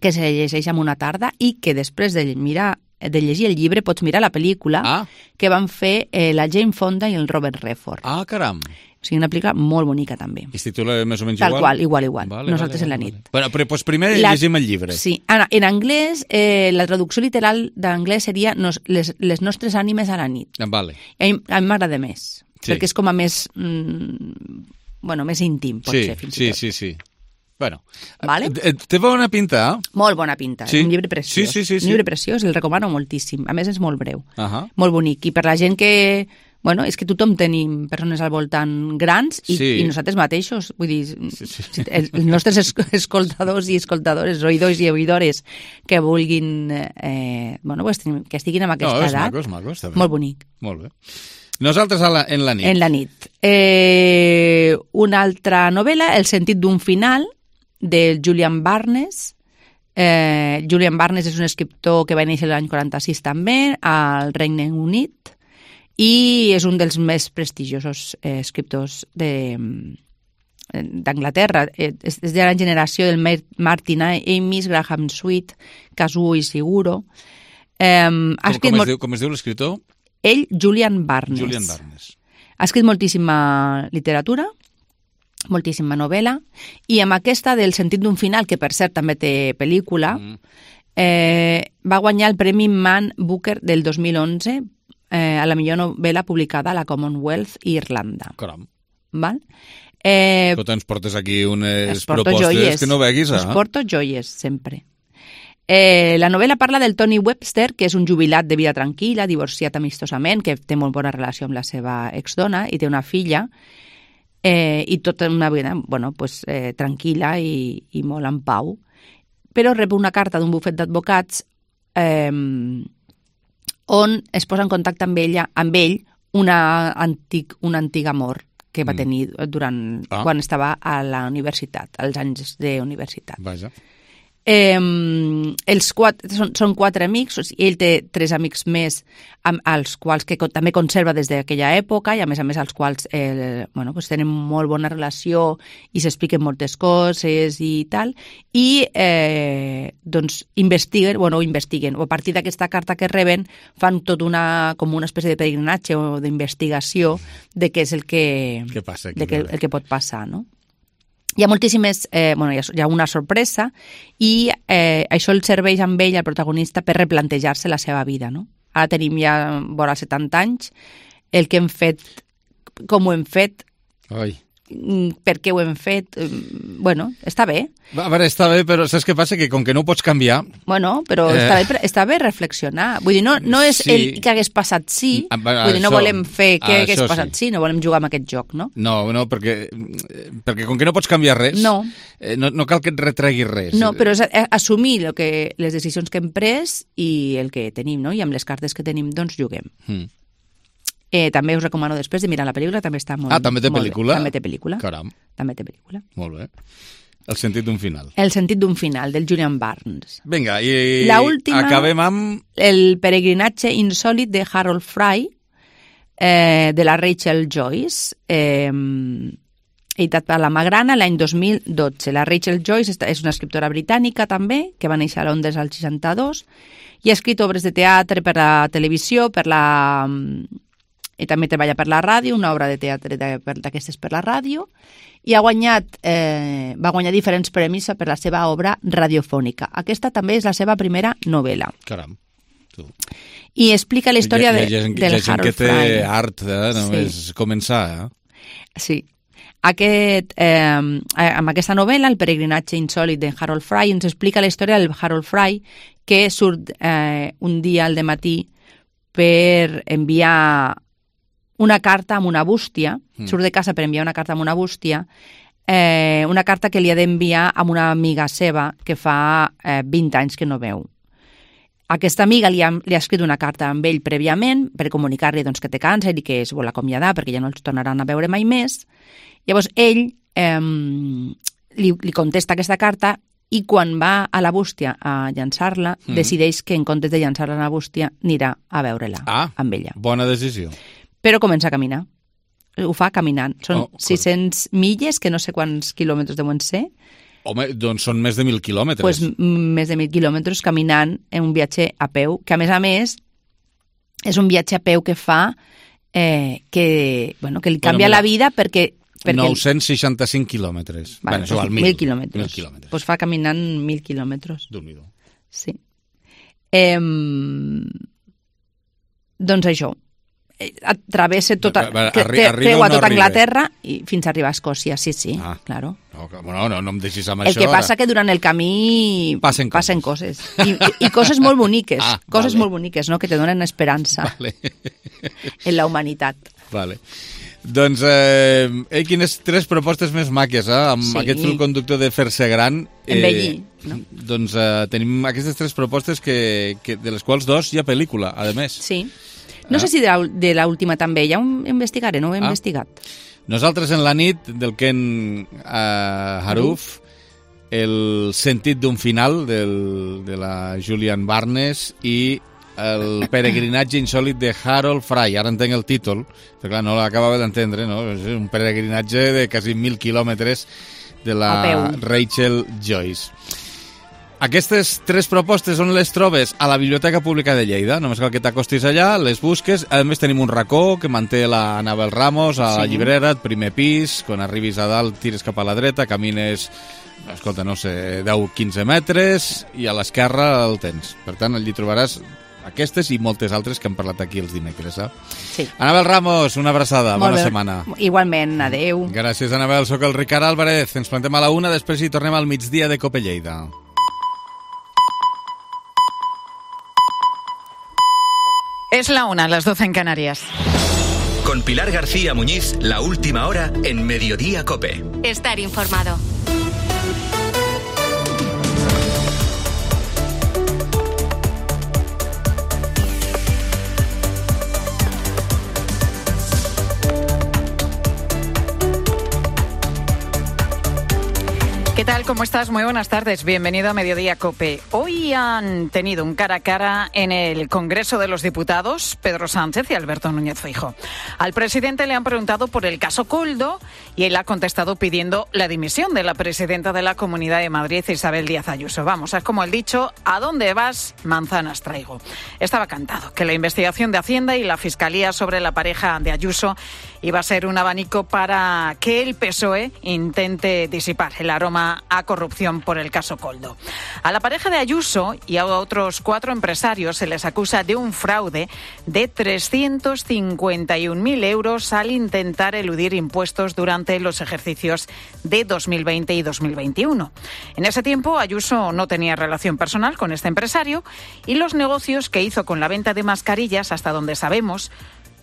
que se llegeix en una tarda i que després de llegir el llibre pots mirar la pel·lícula que van fer la Jane Fonda i el Robert Redford. Ah, caram! O sigui, una pel·lícula molt bonica també. I es titula més o menys igual? Tal qual, igual. Nosaltres en la nit. Bueno, però primer llegim el llibre. Sí, en anglès, la traducció literal d'anglès seria les nostres ànimes a la nit. Vale. A mi m'agrada més, perquè és com a més íntim, potser, fins i tot. Sí. Bueno, vale? Té bona pinta, Molt bona pinta, sí? Un llibre preciós. Sí. Un llibre preciós, el recomano moltíssim. A més, és molt breu, molt bonic. I per la gent que... és que tothom tenim persones al voltant grans i nosaltres mateixos, vull dir, els nostres escoltadors i escoltadores, oïdors i oïdores que vulguin, que estiguin en aquesta edat. És maco, està bé. Molt bonic. Molt bé. Nosaltres en la nit. En la nit. Una altra novel·la, El sentit d'un final, de Julian Barnes, Julian Barnes és un escriptor que va néixer l'any 46 també, al Regne Unit, i és un dels més prestigiosos escriptors d'Anglaterra. És de la generació del Martin Amis, Graham Sweet, Kazuo Ishiguro. Com es diu l'escriptor? Ell, Julian Barnes. Julian Barnes. Ha escrit moltíssima literatura, moltíssima novel·la, i amb aquesta del sentit d'un final, que per cert també té pel·lícula, va guanyar el Premi Man Booker del 2011 a la millor novel·la publicada a la Commonwealth i Irlanda. Caram. Val? Tu ens portes aquí unes propostes joies, que no veguis. Es porto joies, sempre. La novel·la parla del Tony Webster, que és un jubilat de vida tranquil·la, divorciat amistosament, que té molt bona relació amb la seva exdona i té una filla, i tota una vida tranquil·la i molt en pau. Però rep una carta d'un bufet d'advocats on es posa en contacte amb ell un antic amor que va tenir quan estava a la universitat, als anys de universitat. Vaja. Són 4 amics, ell té 3 amics més als quals que també conserva des d'aquella època i a més als quals tenen molt bona relació i s'expliquen moltes coses i tal, i investiguen, o a partir d'aquesta carta que reben fan tot com una espècie de peregrinatge o d'investigació de què és el que pot passar, no? Hi ha moltíssimes... hi ha una sorpresa i això el serveix amb ell, el protagonista, per replantejar-se la seva vida, no? Ara tenim ja vora 70 anys, el que hem fet, com ho hem fet, per què ho hem fet... està bé. A veure, està bé, però saps què passa? Que com que no ho pots canviar... Però està bé reflexionar. Vull dir, no és el que hagués passat vull dir, no volem fer què hagués passat no volem jugar amb aquest joc, no? No, perquè com que no pots canviar res, no cal que et retreguis res. No, però és assumir les decisions que hem pres i el que tenim, no? I amb les cartes que tenim, doncs, juguem. També us recomano després de mirar la pel·lícula, també està molt... també té pel·lícula? També té pel·lícula. Caram. També té pel·lícula. Molt bé. El sentit d'un final. El sentit d'un final, del Julian Barnes. Vinga, i acabem amb... El peregrinatge insòlit de Harold Fry, de la Rachel Joyce, editat per la Magrana l'any 2012. La Rachel Joyce és una escriptora britànica també, que va néixer a Londres al 62, i ha escrit obres de teatre per la televisió, i també treballa per la ràdio, una obra de teatre d'aquestes per la ràdio, i va guanyar diferents premis per la seva obra radiofònica. Aquesta també és la seva primera novel·la. Caram, tu. I explica la història del Harold Fry. Hi ha gent que té art, només començar. Sí. Amb aquesta novel·la, El peregrinatge insòlit de Harold Fry, ens explica la història del Harold Fry, que surt un dia al dematí per enviar una carta amb una bústia, surt de casa per enviar una carta amb una bústia, una carta que li ha d'enviar a una amiga seva que fa 20 anys que no veu. Aquesta amiga li ha escrit una carta amb ell prèviament per comunicar-li que té càncer i que es vol acomiadar perquè ja no els tornaran a veure mai més. Llavors ell li contesta aquesta carta i quan va a la bústia a llançar-la, decideix que en comptes de llançar-la a la bústia anirà a veure-la amb ella. Bona decisió. Però comença a caminar. Ho fa caminant. Són 600 milles, que no sé quants quilòmetres deuen ser. Home, doncs són més de 1.000 quilòmetres. Més de 1.000 quilòmetres caminant en un viatge a peu, que a més, és un viatge a peu que fa que li canvia la vida perquè 965 quilòmetres. Bueno, això val 1.000 quilòmetres. Doncs fa caminant 1.000 quilòmetres. Déu-n'hi-do. Sí. Doncs això. Travessa creua tota Anglaterra i fins a arribar a Escòcia, sí, claro. No em deixis amb això. El que passa que durant el camí passen coses. I coses molt boniques, molt boniques, no?, que te donen esperança en la humanitat. Vale. Doncs, quines 3 propostes més maques, amb aquest fil conductor de fer-se gran. Envellir, no? Doncs tenim aquestes 3 propostes de les quals 2 hi ha pel·lícula, a més. Sí. No sé si de l'última també, ja ho investigaré, no ho he investigat. Nosaltres en la nit, del Ken Haruf, El sentit d'un final de la Julian Barnes i el peregrinatge insòlit de Harold Fry. Ara entenc el títol, però clar, no l'acabava d'entendre, no? És un peregrinatge de quasi 1.000 quilòmetres de la Rachel Joyce. Aquestes 3 propostes on les trobes? A la Biblioteca Pública de Lleida. Només cal que t'acostis allà, les busques. A més, tenim un racó que manté la Anabel Ramos a la llibrera, el primer pis. Quan arribis a dalt, tires cap a la dreta, camines, escolta, no sé, 10-15 metres, i a l'esquerra el tens. Per tant, allí trobaràs aquestes i moltes altres que hem parlat aquí els dimecres. Sí. Anabel Ramos, una abraçada, bona setmana. Igualment, adeu. Gràcies, Anabel. Soc el Ricard Álvarez. Ens plantem a la 1, després hi tornem al migdia de Cope Lleida. Es la 1, las 12 en Canarias. Con Pilar García Muñiz, la última hora en Mediodía Cope. Estar informado. ¿Qué tal? ¿Cómo estás? Muy buenas tardes. Bienvenido a Mediodía COPE. Hoy han tenido un cara a cara en el Congreso de los Diputados Pedro Sánchez y Alberto Núñez Feijóo. Al presidente le han preguntado por el caso Koldo y él ha contestado pidiendo la dimisión de la presidenta de la Comunidad de Madrid, Isabel Díaz Ayuso. Vamos, es como el dicho, ¿a dónde vas? Manzanas traigo. Estaba cantado que la investigación de Hacienda y la Fiscalía sobre la pareja de Ayuso iba a ser un abanico para que el PSOE intente disipar el aroma a corrupción por el caso Koldo. A la pareja de Ayuso y a otros 4 empresarios se les acusa de un fraude de 351.000 euros al intentar eludir impuestos durante los ejercicios de 2020 y 2021. En ese tiempo, Ayuso no tenía relación personal con este empresario y los negocios que hizo con la venta de mascarillas, hasta donde sabemos,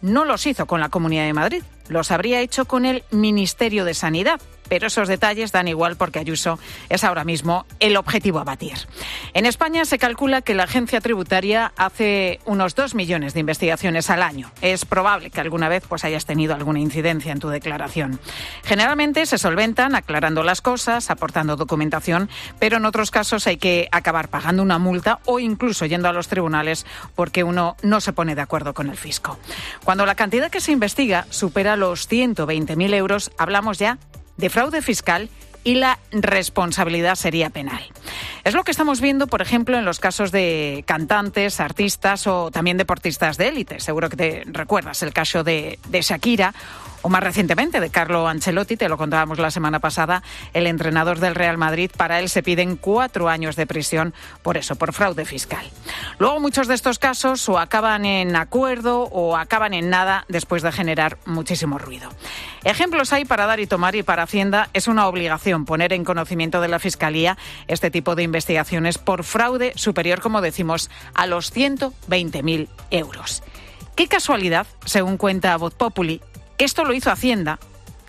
no los hizo con la Comunidad de Madrid, los habría hecho con el Ministerio de Sanidad. Pero esos detalles dan igual porque Ayuso es ahora mismo el objetivo a batir. En España se calcula que la agencia tributaria hace unos 2 millones de investigaciones al año. Es probable que alguna vez hayas tenido alguna incidencia en tu declaración. Generalmente se solventan aclarando las cosas, aportando documentación, pero en otros casos hay que acabar pagando una multa o incluso yendo a los tribunales porque uno no se pone de acuerdo con el fisco. Cuando la cantidad que se investiga supera los 120.000 euros, hablamos ya de fraude fiscal y la responsabilidad sería penal. Es lo que estamos viendo, por ejemplo, en los casos de cantantes, artistas o también deportistas de élite. Seguro que te recuerdas el caso de Shakira o más recientemente de Carlo Ancelotti, te lo contábamos la semana pasada, el entrenador del Real Madrid. Para él se piden 4 años de prisión por eso, por fraude fiscal. Luego muchos de estos casos o acaban en acuerdo o acaban en nada después de generar muchísimo ruido. Ejemplos hay para dar y tomar, y para Hacienda es una obligación poner en conocimiento de la Fiscalía este tipo de investigaciones por fraude superior, como decimos, a los 120.000 euros. Qué casualidad, según cuenta Voz Populi, esto lo hizo Hacienda,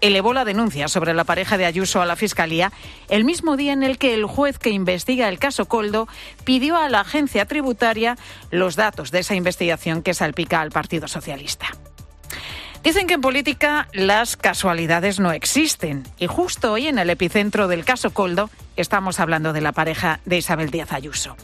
elevó la denuncia sobre la pareja de Ayuso a la Fiscalía el mismo día en el que el juez que investiga el caso Koldo pidió a la agencia tributaria los datos de esa investigación que salpica al Partido Socialista. Dicen que en política las casualidades no existen y justo hoy en el epicentro del caso Koldo estamos hablando de la pareja de Isabel Díaz Ayuso.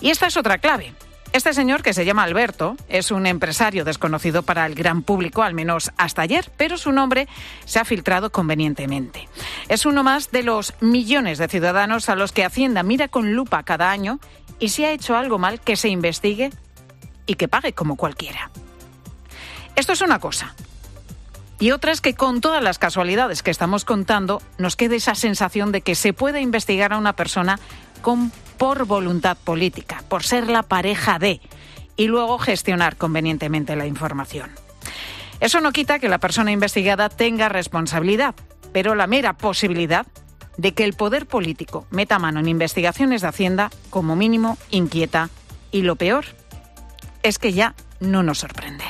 Y esta es otra clave. Este señor, que se llama Alberto, es un empresario desconocido para el gran público, al menos hasta ayer, pero su nombre se ha filtrado convenientemente. Es uno más de los millones de ciudadanos a los que Hacienda mira con lupa cada año y si ha hecho algo mal, que se investigue y que pague como cualquiera. Esto es una cosa. Y otra es que con todas las casualidades que estamos contando, nos quede esa sensación de que se puede investigar a una persona por voluntad política, por ser la pareja de, y luego gestionar convenientemente la información. Eso no quita que la persona investigada tenga responsabilidad, pero la mera posibilidad de que el poder político meta mano en investigaciones de Hacienda, como mínimo, inquieta, y lo peor es que ya no nos sorprende.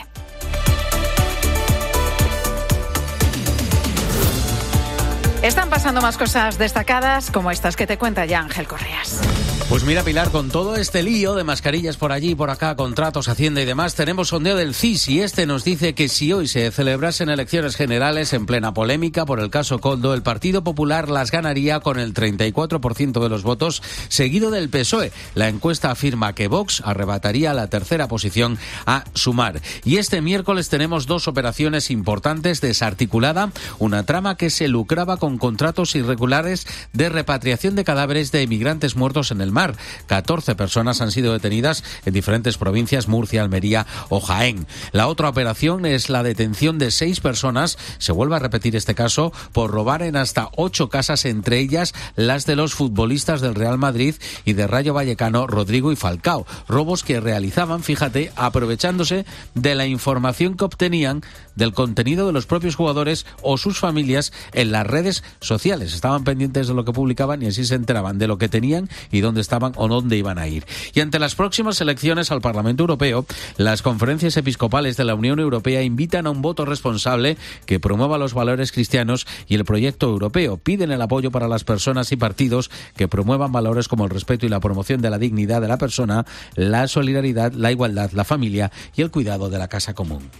Están pasando más cosas destacadas como estas que te cuenta ya Ángel Correas. Pues mira, Pilar, con todo este lío de mascarillas por allí y por acá, contratos, Hacienda y demás, tenemos sondeo del CIS y este nos dice que si hoy se celebrasen elecciones generales en plena polémica por el caso Koldo, el Partido Popular las ganaría con el 34% de los votos, seguido del PSOE. La encuesta afirma que Vox arrebataría la tercera posición a Sumar. Y este miércoles tenemos dos operaciones importantes: Desarticulada, una trama que se lucraba con contratos irregulares de repatriación de cadáveres de emigrantes muertos en el mar. 14 personas han sido detenidas en diferentes provincias, Murcia, Almería o Jaén. La otra operación es la detención de 6 personas, se vuelve a repetir este caso, por robar en hasta 8 casas, entre ellas las de los futbolistas del Real Madrid y de Rayo Vallecano, Rodrigo y Falcao. Robos que realizaban, fíjate, aprovechándose de la información que obtenían del contenido de los propios jugadores o sus familias en las redes sociales. Estaban pendientes de lo que publicaban y así se enteraban de lo que tenían y dónde estaban o dónde iban a ir. Y ante las próximas elecciones al Parlamento Europeo, las conferencias episcopales de la Unión Europea invitan a un voto responsable que promueva los valores cristianos y el proyecto europeo. Piden el apoyo para las personas y partidos que promuevan valores como el respeto y la promoción de la dignidad de la persona, la solidaridad, la igualdad, la familia y el cuidado de la casa común.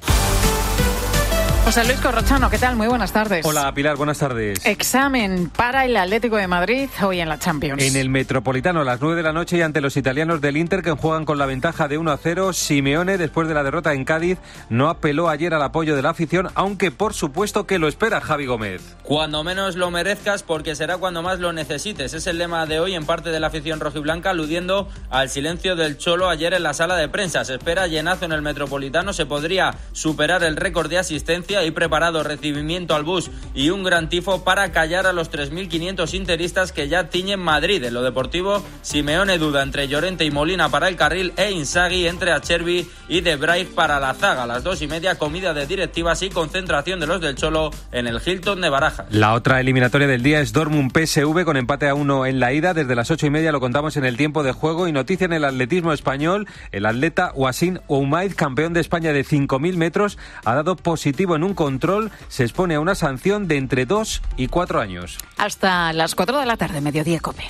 José Luis Corrochano, ¿qué tal? Muy buenas tardes. Hola, Pilar, buenas tardes. Examen para el Atlético de Madrid hoy en la Champions. En el Metropolitano a las 9 de la noche y ante los italianos del Inter, que juegan con la ventaja de 1-0. Simeone, después de la derrota en Cádiz, no apeló ayer al apoyo de la afición, aunque por supuesto que lo espera Javi Gómez. Cuando menos lo merezcas, porque será cuando más lo necesites. Es el lema de hoy en parte de la afición rojiblanca, aludiendo al silencio del Cholo ayer en la sala de prensa. Se espera llenazo en el Metropolitano, se podría superar el récord de asistencia y preparado recibimiento al bus y un gran tifo para callar a los 3.500 interistas que ya tiñen Madrid. En lo deportivo, Simeone duda entre Llorente y Molina para el carril e Inzaghi entre Acerbi y De Vrij para la zaga. A las 2:30, comida de directivas y concentración de los del Cholo en el Hilton de Barajas. La otra eliminatoria del día es Dortmund-PSV con empate a 1 en la ida. Desde las 8:30 lo contamos en el tiempo de juego. Y noticia en el atletismo español: el atleta Wasim Oumaid, campeón de España de 5.000 metros, ha dado positivo en un control. Se expone a una sanción de entre 2 y 4 años. Hasta las 4 de la tarde, Mediodía COPE.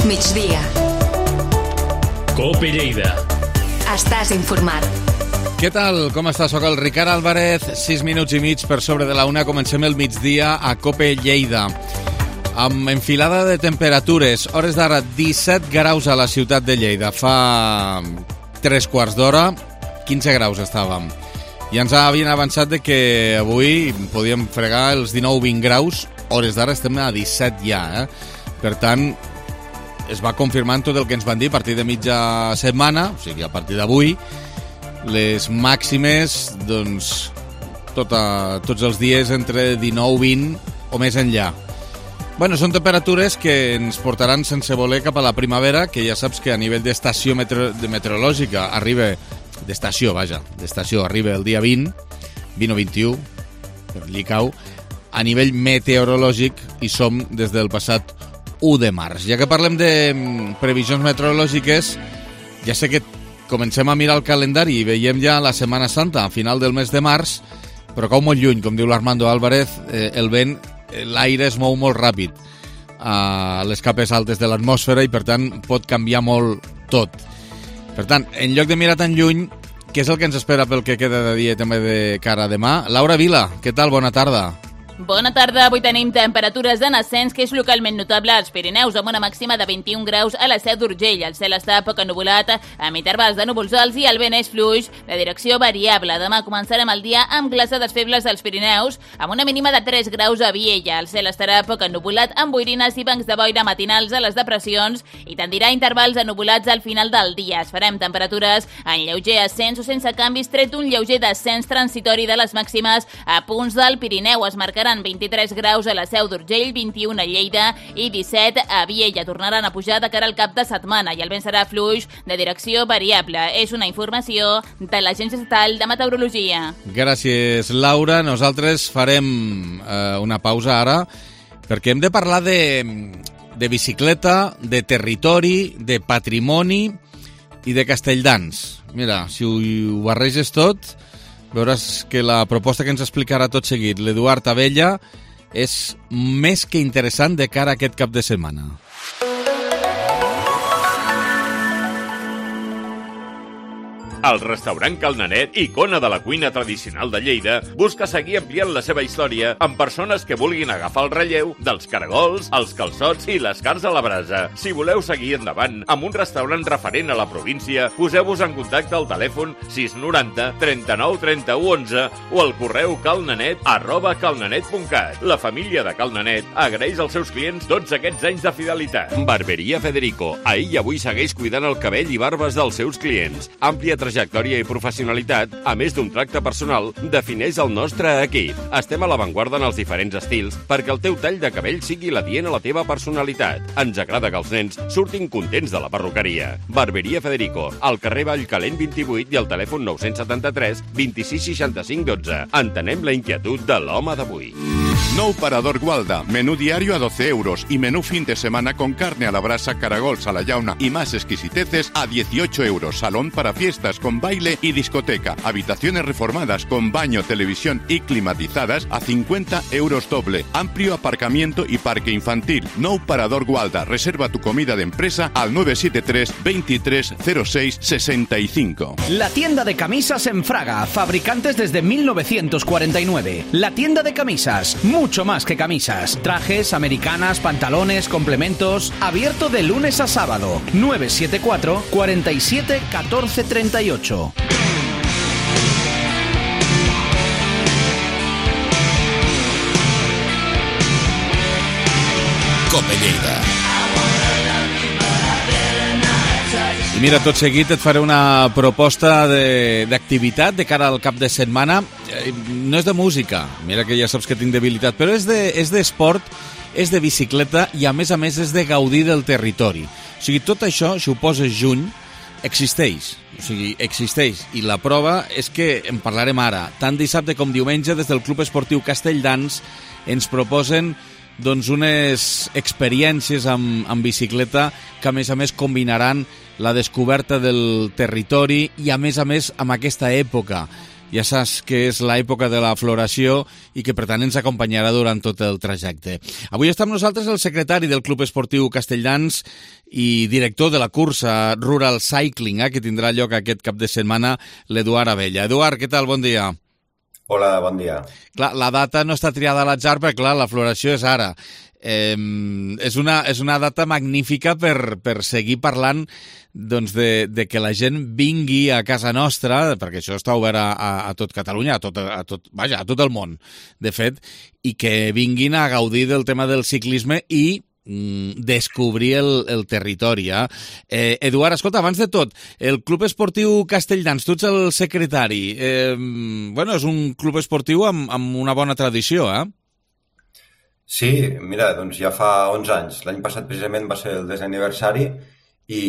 Migdia. COPE Lleida. Estàs informat. Què tal? Com estàs? Soc el Ricard Álvarez, 6 minuts i mig per sobre de la 1. Comencem el migdia a COPE Lleida. Amb enfilada de temperatures, hores d'ara 17 graus a la ciutat de Lleida. Fa 3 quarts d'hora, 15 graus estàvem. I ens havien avançat de que avui podíem fregar els 19-20 graus, hores d'ara estem a 17 ja. Per tant, es va confirmant tot el que ens van dir a partir de mitja setmana, o sigui, a partir d'avui, les màximes, doncs, tots els dies entre 19-20 o més enllà. Bueno, són temperatures que ens portaran sense voler cap a la primavera, que ja saps que a nivell d'estació meteorològica arriba, d'estació arriba el dia 20 o 21, per Llicau. A nivell meteorològic hi som des del passat 1 de març. Ja que parlem de previsions meteorològiques, ja sé que comencem a mirar el calendari i veiem ja la Setmana Santa a final del mes de març, però cau molt lluny, com diu l'Armando Álvarez, el vent, l'aire es mou molt ràpid a les capes altes de l'atmosfera i per tant pot canviar molt tot. Per tant, en lloc de mirar tan lluny, què és el que ens espera pel que queda de dia també de cara a demà? Laura Vila, què tal? Bona tarda. Bona tarda, avui tenim temperatures en ascens, que és localment notable als Pirineus, amb una màxima de 21 graus a la Seu d'Urgell. El cel està poc ennuvolat, amb intervals de núvols alts i el vent és fluix, de direcció variable. Demà començarem el dia amb glaçades febles als Pirineus, amb una mínima de 3 graus a Viella. El cel estarà poc ennuvolat, amb boirines i bancs de boira matinals a les depressions i tendirà intervals ennuvolats al final del dia. Es farem temperatures en lleuger ascens o sense canvis, tret un lleuger descens transitori de les màximes a punts del Pirineu. Es marcaran 23 graus a la Seu d'Urgell, 21 a Lleida i 17 a Viella. Tornaran a pujar de cara al cap de setmana i el vent serà fluix de direcció variable. És una informació de l'Agència Estatal de Meteorologia. Gràcies, Laura. Nosaltres farem una pausa ara perquè hem de parlar de bicicleta, de territori, de patrimoni i de Castelldans. Mira, si ho barreges tot, veuràs que la proposta que ens explicarà tot seguit l'Eduard Abella és més que interessant de cara a aquest cap de setmana. El restaurant Cal Nanet, icona de la cuina tradicional de Lleida, busca seguir ampliant la seva història amb persones que vulguin agafar el relleu dels caragols, els calçots i les carns a la brasa. Si voleu seguir endavant amb un restaurant referent a la província, poseu-vos en contacte al telèfon 690 39 31 11 o al correu calnanet@calnanet.cat. La família de Cal Nanet agraeix als seus clients tots aquests anys de fidelitat. Barberia Federico. Ahir i avui segueix cuidant el cabell i barbes dels seus clients. Àmplia trajectòria i professionalitat, a més d'un tracte personal, defineix el nostre equip. Estem a l'avantguarda en els diferents estils perquè el teu tall de cabell sigui l'adient a la teva personalitat. Ens agrada que els nens surtin contents de la perruqueria. Barberia Federico, al carrer Vallcalent 28 i al telèfon 973 26 65 12. Entenem la inquietud de l'home d'avui. Nou Parador Gualda, menú diario a 12 euros y menú fin de semana con carne a la brasa, caragols a la llauna y más exquisiteces a 18 euros. Salón para fiestas con baile y discoteca. Habitaciones reformadas con baño, televisión y climatizadas a 50 euros doble. Amplio aparcamiento y parque infantil. Nou Parador Gualda. Reserva tu comida de empresa al 973 23 06 65. La tienda de camisas en Fraga. Fabricantes desde 1949. La tienda de camisas. Mucho más que camisas. Trajes, americanas, pantalones, complementos. Abierto de lunes a sábado. 974 47 14 38. Cope Lleida. I mira, tot seguit et faré una proposta d'activitat de cara al cap de setmana. No és de música, mira que ja saps que tinc debilitat, però és d'esport, és de bicicleta i a més és de gaudir del territori. O sigui, tot això, si ho poses juny, existeix. O sigui, existeix. I la prova és que en parlarem ara. Tant dissabte com diumenge, des del Club Esportiu Castelldans, ens proposen doncs unes experiències amb bicicleta que a més combinaran la descoberta del territori i a més amb aquesta època. Ja saps que és l'època de la floració i que per tant ens acompanyarà durant tot el trajecte. Avui està amb nosaltres el secretari del Club Esportiu Castelldans i director de la cursa Rural Cycling, que tindrà lloc aquest cap de setmana, l'Eduard Abella. Eduard, què tal? Bon dia. Hola, bon dia. Clar, la data no està triada a l'atzar perquè, clar, la floració és ara. És una data magnífica per seguir parlant doncs, de que la gent vingui a casa nostra, perquè això està obert a tot Catalunya, a tot el món, de fet, i que vinguin a gaudir del tema del ciclisme i descobrir el territori. Eduard, escolta, abans de tot, el Club Esportiu Castelldans, tu ets el secretari. És un club esportiu amb una bona tradició, Sí, mira, doncs ja fa 11 anys. L'any passat precisament va ser el 10è aniversari i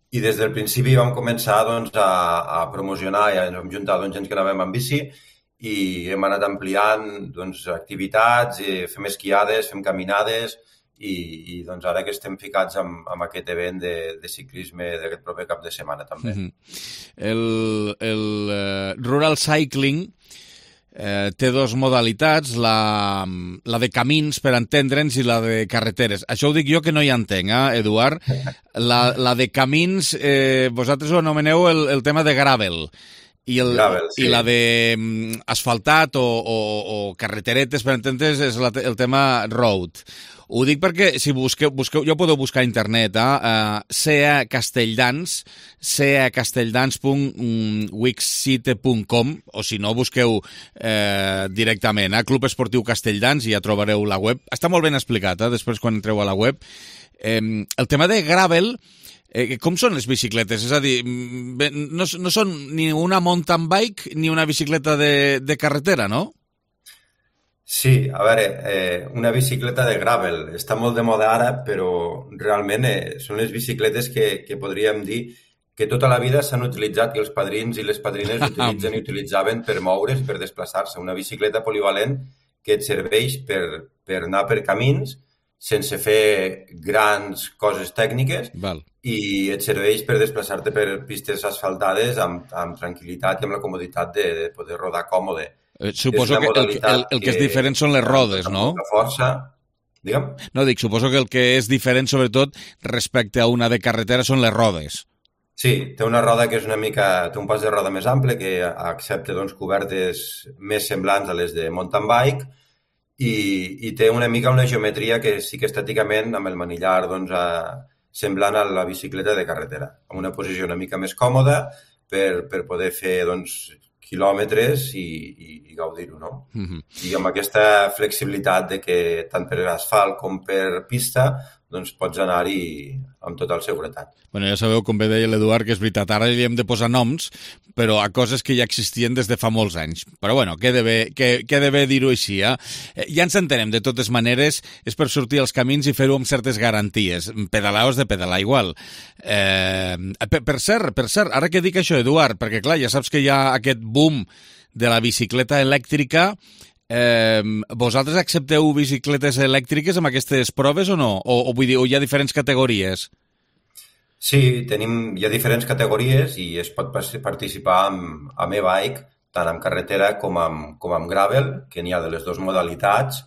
des del principi vam començar doncs, a promocionar i ens vam juntar gent que anàvem amb bici i hem anat ampliant doncs, activitats, fem esquiades, fem caminades i doncs ara que estem ficats amb aquest event de ciclisme d'aquest proper cap de setmana també. El Rural Cycling té dues modalitats, la de camins, per entendre'ns, i la de carreteres. Això ho dic jo que no hi entenc, Eduard. La de camins, vosaltres ho anomeneu el tema de gravel. I la de asfaltat o carreteretes, per entendre'ns, és el tema road. Ho dic perquè si busqueu, jo podeu buscar a internet, CA Castelldans, castelldans.wixsite.com, o si no, busqueu directament Club Esportiu Castelldans i ja trobareu la web. Està molt ben explicat, després quan entreu a la web. El tema de gravel, com són les bicicletes? És a dir, no són ni una mountain bike ni una bicicleta de carretera, no? Sí, a veure, una bicicleta de gravel està molt de moda ara, però realment són les bicicletes que podríem dir que tota la vida s'han utilitzat i els padrins i les padrines utilitzen i utilitzaven per moure's, per desplaçar-se. Una bicicleta polivalent que et serveix per anar per camins sense fer grans coses tècniques i et serveix per desplaçar-te per pistes asfaltades amb tranquil·litat i amb la comoditat de poder rodar còmode. Suposo que el que és diferent són les rodes, no? La força... Digue'm? No, dic, suposo que el que és diferent, sobretot, respecte a una de carretera, són les rodes. Sí, té una roda que és una mica... Té un pas de roda més ample que accepta cobertes més semblants a les de mountain bike i té una mica una geometria que sí que estèticament, amb el manillar, semblant a la bicicleta de carretera, amb una posició una mica més còmoda per poder fer quilòmetres i gaudir-ho, no? I amb aquesta flexibilitat de que tant per asfalt com per pista pots anar-hi amb tota la seguretat. Bueno, ja sabeu, com bé deia l'Eduard, que és veritat, ara li hem de posar noms, però a coses que ja existien des de fa molts anys. Però bueno, queda bé dir-ho així, eh? Ja ens entenem, de totes maneres, és per sortir als camins i fer-ho amb certes garanties. Pedalar o has de pedalar igual. Per cert, ara que dic això, Eduard, perquè clar, ja saps que hi ha aquest boom de la bicicleta elèctrica. Vosaltres accepteu bicicletes elèctriques amb aquestes proves o no? O vull dir, hi ha diferents categories? Sí, hi ha diferents categories i es pot participar amb e-bike, tant amb carretera com amb gravel, que n'hi ha de les dues modalitats.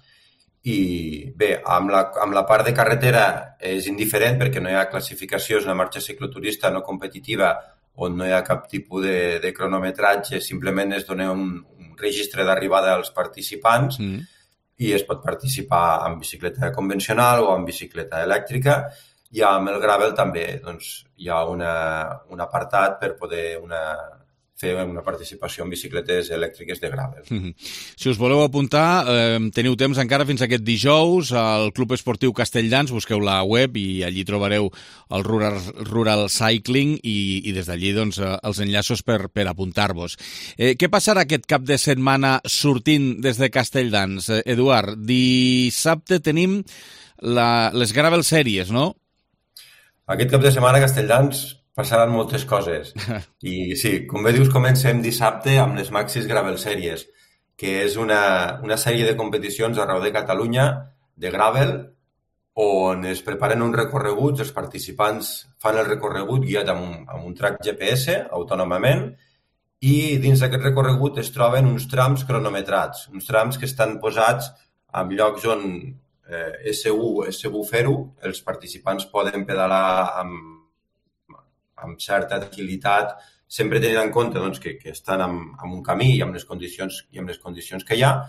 I bé, amb la part de carretera és indiferent perquè no hi ha classificació, és una marxa cicloturista no competitiva on no hi ha cap tipus de cronometratge, simplement es dona un registre d'arribada als participants i es pot participar amb bicicleta convencional o amb bicicleta elèctrica. I amb el gravel també hi ha un apartat per poder fer una participació en bicicletes elèctriques de gravel. Si us voleu apuntar, teniu temps encara fins aquest dijous al Club Esportiu Castelldans, busqueu la web i allí trobareu el Rural Cycling i des d'allí els enllaços per apuntar-vos. Què passarà aquest cap de setmana sortint des de Castelldans? Eduard, dissabte tenim les Gravel Series, no? Aquest cap de setmana a Castelldans passaran moltes coses. I sí, com bé dius, comencem dissabte amb les Maxis Gravel Series, que és una sèrie de competicions arreu de Catalunya de gravel on es preparen uns recorreguts, els participants fan el recorregut guiat amb un track GPS autònomament i dins d'aquest recorregut es troben uns trams cronometrats, uns trams que estan posats en llocs on és segur fer-ho, els participants poden pedalar amb certa tranquil·litat, sempre tenint en compte que estan en un camí i amb les condicions que hi ha,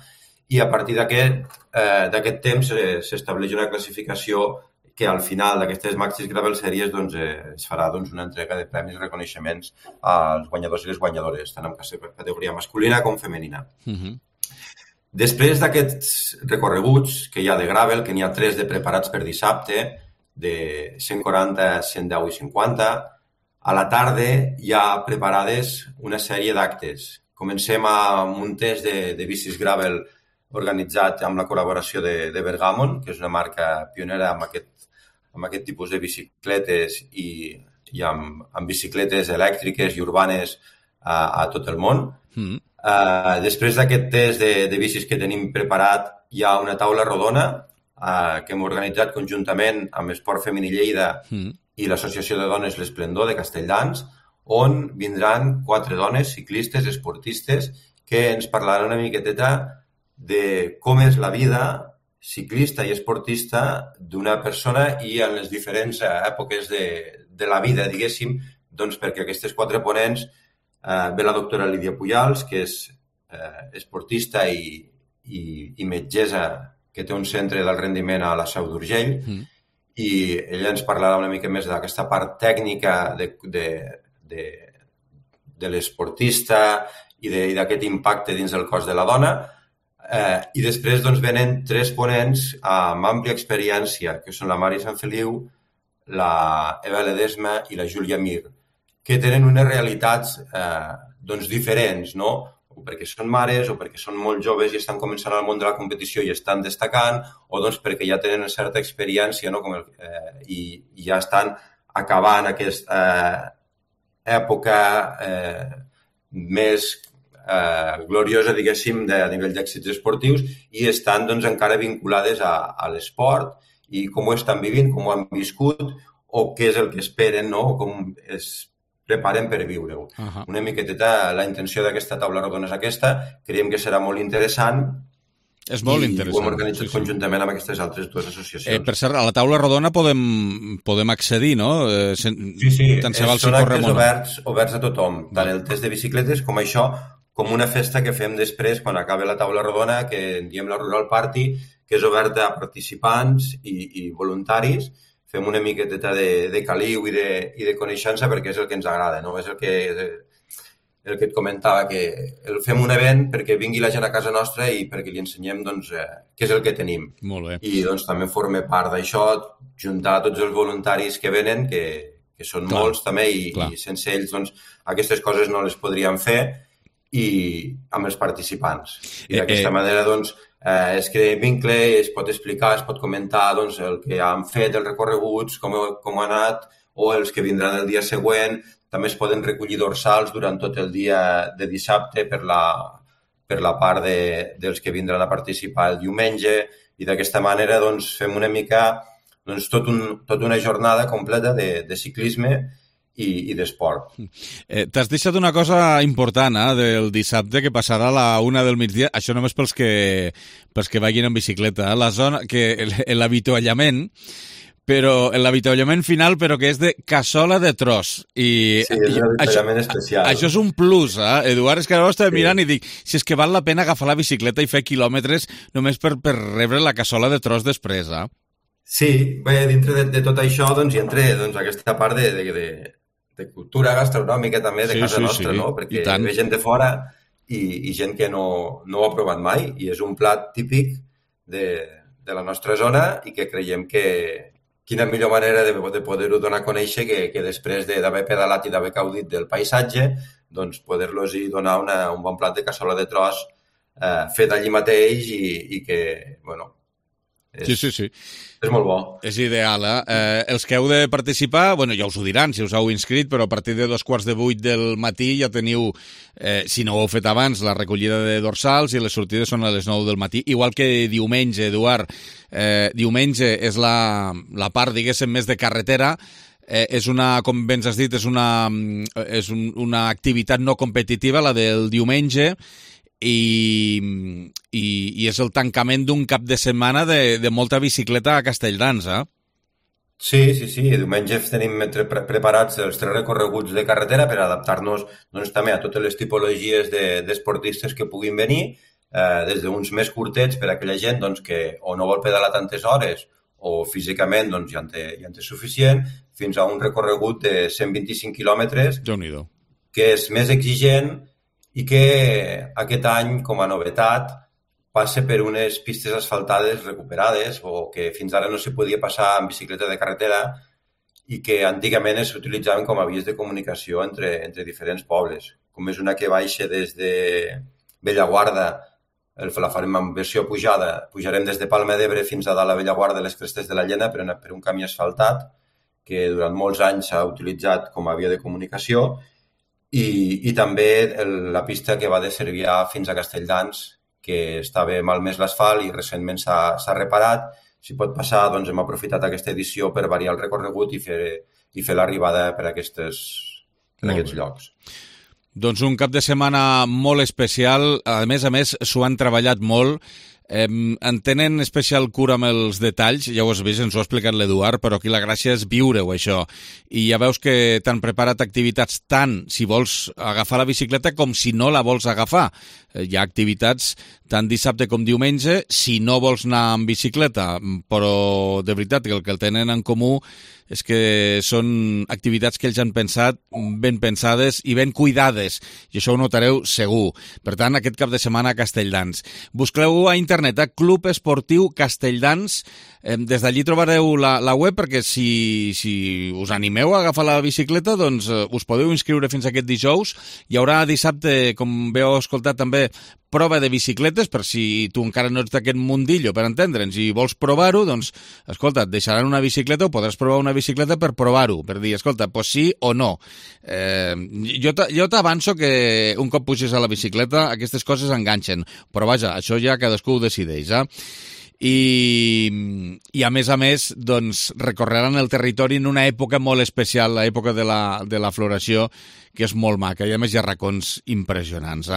i a partir d'aquest temps s'estableix una classificació que al final d'aquestes Maxis Gravel Series es farà una entrega de premis i reconeixements als guanyadors i les guanyadores, tant en categoria masculina com femenina. Després d'aquests recorreguts que hi ha de gravel, que n'hi ha 3 de preparats per dissabte, de 140, 110 i 50, a la tarda hi ha preparades una sèrie d'actes. Comencem amb un test de bicis gravel organitzat amb la col·laboració de Bergamon, que és una marca pionera amb aquest tipus de bicicletes i amb bicicletes elèctriques i urbanes a tot el món. Després d'aquest test de bicis que tenim preparat, hi ha una taula rodona que hem organitzat conjuntament amb Esport Femení Lleida i l'Associació de Dones L'Esplendor de Castelldans, on vindran 4 dones ciclistes, esportistes, que ens parlaran una miqueteta de com és la vida ciclista i esportista d'una persona i en les diferents èpoques de la vida, diguéssim, perquè aquestes 4 ponents ve la doctora Lídia Pujals, que és esportista i metgessa que té un centre del rendiment a la Seu d'Urgell, i ella ens parlarà una mica més d'aquesta part tècnica de l'esportista i d'aquest impacte dins del cos de la dona. I després venen 3 ponents amb àmplia experiència, que són la Mari Sanfeliu, la Eva Ledesma i la Júlia Mir, que tenen unes realitats diferents, no? O perquè són mares, o perquè són molt joves i estan començant al món de la competició i estan destacant, o perquè ja tenen una certa experiència, no? I ja estan acabant aquesta època més gloriosa, diguéssim, a nivell d'èxits esportius, i estan encara vinculades a l'esport i com ho estan vivint, com ho han viscut, o què és el que esperen, no? O com es preparen per viure-ho. Una miqueteta la intenció d'aquesta taula rodona és aquesta, creiem que serà molt interessant. És molt interessant. I ho hem organitzat conjuntament amb aquestes altres dues associacions. Per cert, a la taula rodona podem accedir, no? Sí, són actes oberts a tothom, tant el test de bicicletes com això, com una festa que fem després, quan acabe la taula rodona, que en diem la Rural Party, que és oberta a participants i voluntaris. Fem una miqueteta de caliu i de coneixença perquè és el que ens agrada, no? És el que et comentava, que fem un event perquè vingui la gent a casa nostra i perquè li ensenyem què és el que tenim. Molt bé. I també forma part d'això, juntar tots els voluntaris que venen, que són molts també, i sense ells aquestes coses no les podríem fer, i amb els participants. I d'aquesta manera es crea vincle, es pot explicar, es pot comentar el que han fet, els recorreguts, com ha anat, o els que vindran el dia següent. També es poden recollir dorsals durant tot el dia de dissabte per la part dels que vindran a participar el diumenge, i d'aquesta manera fem una mica tota una jornada completa de ciclisme i d'esport. T'has deixat una cosa important del dissabte, que passarà a la 1 del migdia, això només pels que vagin en bicicleta, la zona, l'avituallament, però l'avituallament final, però que és de cassola de tros. Sí, és un avituallament especial. Això és un plus, Eduard, és que ara ho estava mirant i dic, si és que val la pena agafar la bicicleta i fer quilòmetres només per rebre la cassola de tros després, Sí, bé, dintre de tot això hi entra aquesta part de cultura gastronòmica també de casa nostra, no? Perquè ve gent de fora i gent que no ho ha provat mai, i és un plat típic de la nostra zona, i que creiem que quina millor manera de poder-ho donar a conèixer que després d'haver pedalat i d'haver gaudit del paisatge, poder-los donar un bon plat de cassola de tros fet allí mateix i que, bueno... Sí. És molt bo. És ideal, Els que heu de participar, ja us ho diran si us heu inscrit, però a partir de 7:15 del matí ja teniu, si no ho heu fet abans, la recollida de dorsals, i les sortides són a les 9 del matí. Igual que diumenge, Eduard, diumenge és la part, diguéssim, més de carretera. És com ben has dit, és una activitat no competitiva, la del diumenge, i és el tancament d'un cap de setmana de molta bicicleta a Castelldans, Sí. Diumenge tenim preparats els 3 recorreguts de carretera per adaptar-nos també a totes les tipologies d'esportistes que puguin venir, des d'uns més curtets per a aquella gent que o no vol pedalar tantes hores o físicament ja en té suficient, fins a un recorregut de 125 quilòmetres, que és més exigent, i que aquest any, com a novetat, passa per unes pistes asfaltades recuperades, o que fins ara no s'hi podia passar en bicicleta de carretera, i que antigament s'utilitzaven com a vies de comunicació entre diferents pobles. Com és una que baixa des de Bellaguarda, la farem en versió pujada, pujarem des de Palma d'Ebre fins a dalt a Bellaguarda, les Crestes de la Llena, per un camí asfaltat, que durant molts anys s'ha utilitzat com a via de comunicació, i també la pista que va de Cervià fins a Castelldans, que estava malmès l'asfalt i recentment s'ha reparat. Si pot passar, hem aprofitat aquesta edició per variar el recorregut i fer l'arribada per aquests llocs. Doncs un cap de setmana molt especial. A més, s'ho han treballat molt. En tenen especial cura amb els detalls, ja ho has vist, ens ho ha explicat l'Eduard, però aquí la gràcia és viure-ho, això. I ja veus que t'han preparat activitats tant si vols agafar la bicicleta com si no la vols agafar. Hi ha activitats tant dissabte com diumenge, si no vols anar amb bicicleta, però de veritat que el que el tenen en comú és que són activitats que ells han pensat ben pensades i ben cuidades, i això ho notareu segur. Per tant, aquest cap de setmana a Castelldans. Busqueu a internet, Club Esportiu Castelldans. Des d'allí trobareu la web, perquè si us animeu a agafar la bicicleta, doncs us podeu inscriure fins aquest dijous. Hi haurà dissabte, com veu escoltat també, prova de bicicletes, per si tu encara no ets d'aquest mundillo, per entendre'ns, i vols provar-ho, doncs, escolta, et deixaran una bicicleta o podràs provar una bicicleta per provar-ho, per dir, escolta, pues sí o no. Jo t'avanço que un cop puges a la bicicleta aquestes coses enganxen, però vaja, això ja cadascú ho decideix, i a més, doncs, recorreran el territori en una època molt especial, l'època de la floració, que és molt maca, i a més hi ha racons impressionants.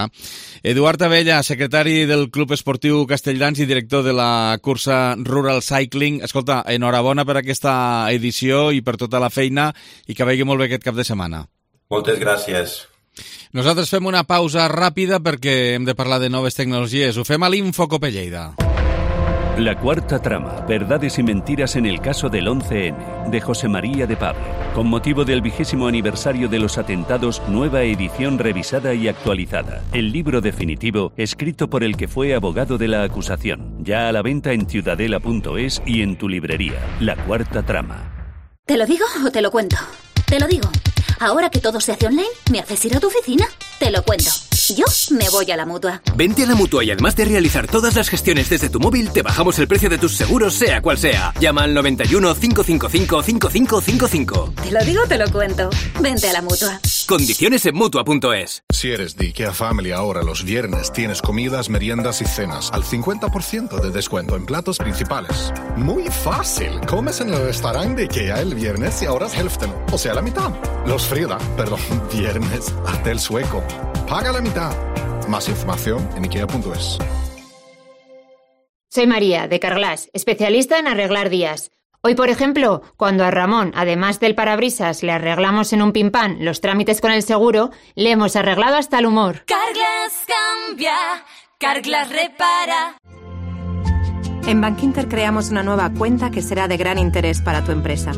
Eduard Abella, secretari del Club Esportiu Castelldans i director de la cursa Rural Cycling. Escolta, enhorabona per aquesta edició i per tota la feina, i que vagi molt bé aquest cap de setmana. Moltes gràcies. Nosaltres fem una pausa ràpida perquè hem de parlar de noves tecnologies. Ho fem a l'Info Copelleida. La cuarta trama, verdades y mentiras en el caso del 11N, de José María de Pablo. Con motivo del 20º aniversario de los atentados, nueva edición revisada y actualizada. El libro definitivo, escrito por el que fue abogado de la acusación. Ya a la venta en ciudadela.es y en tu librería. La cuarta trama. ¿Te lo digo o te lo cuento? Te lo digo. Ahora que todo se hace online, ¿me haces ir a tu oficina? Te lo cuento. Yo me voy a la Mutua. Vente a la Mutua y además de realizar todas las gestiones desde tu móvil, te bajamos el precio de tus seguros, sea cual sea. Llama al 91 555 5555. Te lo digo, te lo cuento. Vente a la Mutua. Condiciones en Mutua.es. Si eres de IKEA Family, ahora los viernes tienes comidas, meriendas y cenas al 50% de descuento en platos principales. Muy fácil. Comes en el restaurante de IKEA el viernes y ahorras hälften, o sea, la mitad. Viernes, hasta el sueco. Paga la mitad. Más información en IKEA.es. Soy María, de Carglass, especialista en arreglar días. Hoy, por ejemplo, cuando a Ramón, además del parabrisas, le arreglamos en un pimpán los trámites con el seguro, le hemos arreglado hasta el humor. Carglass cambia, Carglass repara. En Bankinter creamos una nueva cuenta que será de gran interés para tu empresa.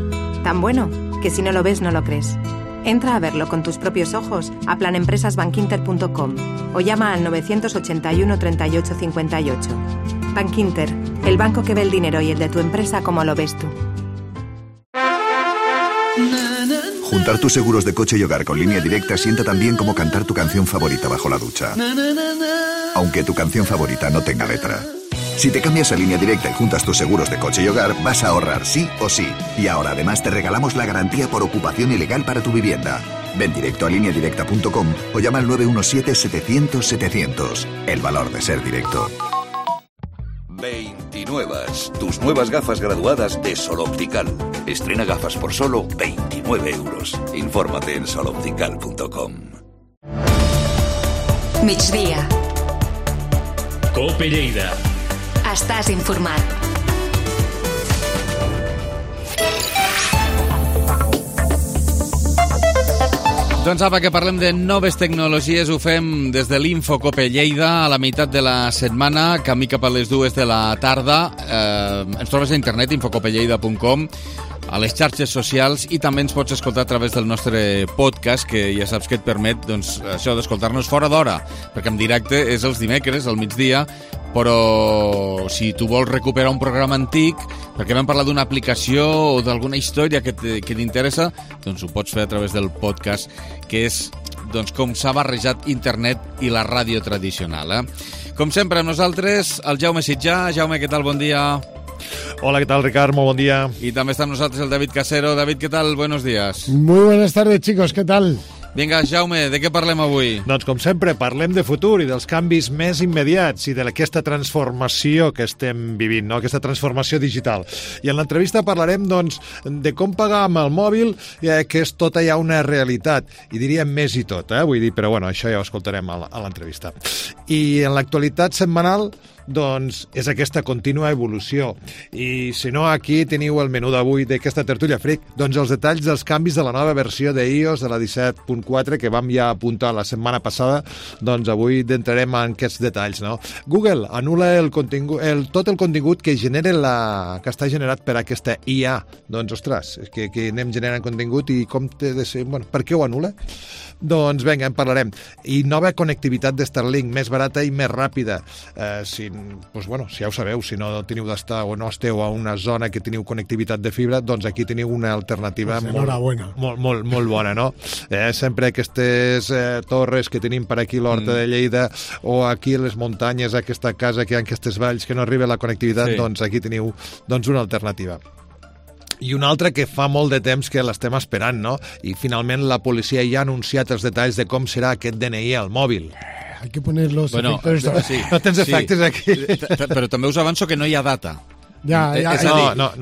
Tan bueno que si no lo ves, no lo crees. Entra a verlo con tus propios ojos a planempresasbankinter.com o llama al 981 38 58. Bankinter, el banco que ve el dinero y el de tu empresa como lo ves tú. Juntar tus seguros de coche y hogar con Línea Directa sienta tan bien como cantar tu canción favorita bajo la ducha. Aunque tu canción favorita no tenga letra. Si te cambias a Línea Directa y juntas tus seguros de coche y hogar, vas a ahorrar sí o sí. Y ahora además te regalamos la garantía por ocupación ilegal para tu vivienda. Ven directo a lineadirecta.com o llama al 917-700-700. El valor de ser directo. 29. Tus nuevas gafas graduadas de Sol Optical. Estrena gafas por solo 29 euros. Infórmate en soloptical.com. Migdia. Cope Lleida. Estàs informat. Doncs apa, que parlem de noves tecnologies, ho fem des de l'Info Cope Lleida a la meitat de la setmana, camí cap a les 2 de la tarda. Ens trobes a internet, infocopelleida.com, a les xarxes socials, i també ens pots escoltar a través del nostre podcast, que ja saps que et permet, doncs, això d'escoltar-nos fora d'hora, perquè en directe és els dimecres, al migdia, però si tu vols recuperar un programa antic, perquè vam parlar d'una aplicació o d'alguna història que t'interessa, doncs ho pots fer a través del podcast, que és, doncs, com s'ha barrejat internet i la ràdio tradicional. Com sempre, amb nosaltres, el Jaume Sitjà. Jaume, què tal? Bon dia. Hola, ¿qué tal, Ricardo? Muy buen día. Y también está con nosotros el David Casero. David, ¿qué tal? Buenos días. Muy buenas tardes, chicos. ¿Qué tal? Vinga, Jaume, de què parlem avui? Doncs, com sempre, parlem de futur i dels canvis més immediats i d'aquesta transformació que estem vivint, no? Aquesta transformació digital. I en l'entrevista parlarem, doncs, de com pagar amb el mòbil, que és tota ja una realitat. I diríem més i tot, vull dir, però bueno, això ja ho escoltarem a l'entrevista. I en l'actualitat setmanal, doncs, és aquesta contínua evolució. I si no, aquí teniu el menú d'avui d'aquesta tertúlia freak, doncs els detalls dels canvis de la nova versió d'iOS, de la 17.4, que vam ja apuntar la setmana passada, doncs avui entrarem en aquests detalls, no? Google anul·la tot el contingut que que està generat per aquesta IA. Doncs, ostres, que anem generant contingut i com té de ser... Bueno, per què ho anul·la? Doncs vinga, en parlarem. I nova connectivitat de Starlink, més barata i més ràpida. Doncs, bueno, si ja ho sabeu, si no teniu d'estar o no esteu a una zona que teniu connectivitat de fibra, doncs aquí teniu una alternativa molt bona, no? Sempre aquestes torres que tenim per aquí a l'Horta de Lleida o aquí a les muntanyes, aquesta casa que hi ha en aquestes valls que no arriba la connectivitat, doncs aquí teniu una alternativa. I una altra que fa molt de temps que l'estem esperant, no? I finalment la policia ja ha anunciat els detalls de com serà aquest DNI al mòbil. hay que poner los efectos. Sí, no tens efectes aquí. Però també us avanço que no hi ha data. Ya, no,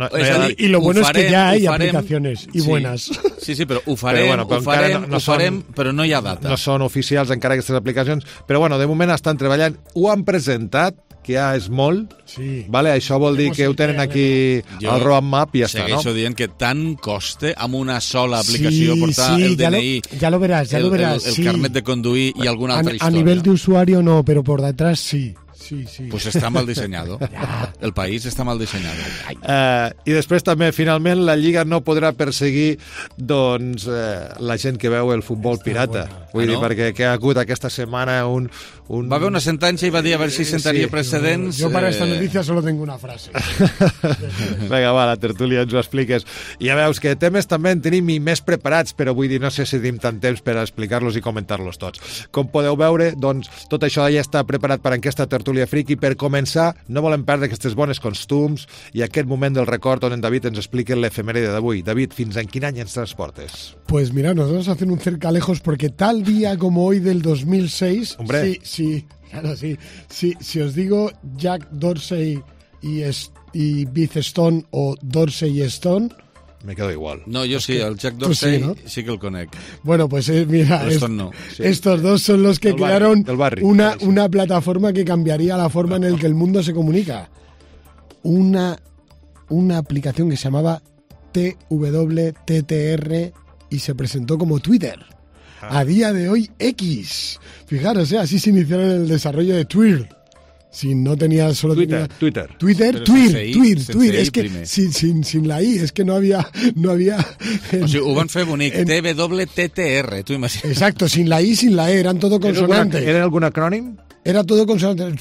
y lo bueno es que ya hay aplicaciones y buenas. Sí, però ho farem, però no hi ha data. No són oficials encara aquestes aplicacions, però bueno, de moment estan treballant, ho han presentat, que ja és molt, vale? Això vol dir que ho tenen aquí al roadmap i ja està, no? Segueixo dient que tant costa amb una sola aplicació portar el DNI, ya lo verás, el carnet de conduir y alguna altra història. A nivel de usuario no, pero por detrás sí. Pues està mal dissenyado. El país està mal dissenyado. I després també, finalment, la Lliga no podrà perseguir doncs, la gent que veu el futbol pirata. Vull dir, perquè que ha hagut aquesta setmana un... Va haver una sentència i va dir a veure si sentaria precedents... Yo para esta noticia solo tengo una frase. Vinga, va, la tertúlia ens ho expliques. I ja veus que temes també en tenim i més preparats, però vull dir, no sé si tenim tant temps per explicar-los i comentar-los tots. Com podeu veure, doncs, tot això ja està preparat per aquesta tertúlia friki. Per començar, no volem perdre aquestes bones costums i aquest moment del record on en David ens explica l'efemèride d'avui. David, fins en quin any ens transportes? Pues mira, nos vamos a hacer un cercalejos porque tal día como hoy del 2006... Hombre. Sí, claro, sí. Si os digo Jack Dorsey y Beth Stone o Dorsey y Stone... Me quedo igual. No, yo sí, el Jack Dorsey sí que el conec. Bueno, pues mira, no. Estos dos son los que crearon una plataforma que cambiaría la forma en la que el mundo se comunica. Una aplicación que se llamaba TWTTR y se presentó como Twitter. A día de hoy, X. Fijaros, así se inició el desarrollo de Twitter. Si no tenía solo Twitter. Es que sin la I, es que no había o sigui, ho van fer bonic, TWTTR, tu imagines. Exacto, sin la I, sin la E, eran todo consonantes. ¿Era algún acrónimo? Era todo consonantes.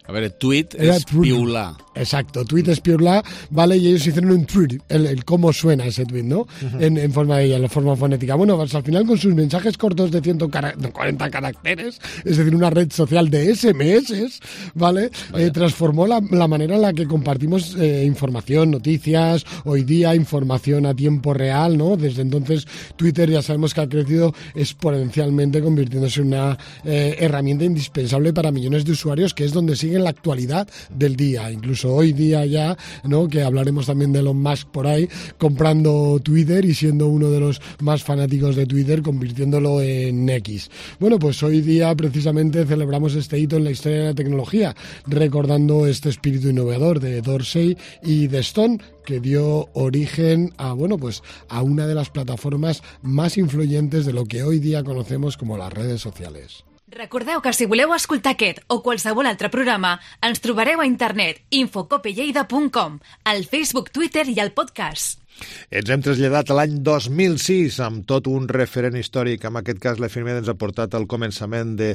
A ver, tweet es piular. Exacto, tweet es piular, ¿vale? Y ellos hicieron un tweet, el cómo suena ese tweet, ¿no? En forma de ella, en la forma fonética. Bueno, pues al final con sus mensajes cortos de 140 caracteres, es decir, una red social de SMS, ¿vale? Transformó la manera en la que compartimos información, noticias, hoy día información a tiempo real, ¿no? Desde entonces Twitter ya sabemos que ha crecido exponencialmente, convirtiéndose en una herramienta indispensable para millones de usuarios, que es donde siguen la actualidad del día. Incluso hoy día ya, ¿no? Que hablaremos también de Elon Musk por ahí, comprando Twitter y siendo uno de los más fanáticos de Twitter, convirtiéndolo en X. Bueno, pues hoy día precisamente celebramos este hito en la historia de la tecnología, recordando este espíritu innovador de Dorsey y de Stone, que dio origen a, bueno, pues a una de las plataformas más influyentes de lo que hoy día conocemos como las redes sociales. Recordeu que si voleu escoltar aquest o qualsevol altre programa, ens trobareu a internet infocopelleida.com, al Facebook, Twitter i al podcast. Ens hem traslladat a l'any 2006 amb tot un referent històric. En aquest cas, l'efemèride ens ha portat al començament de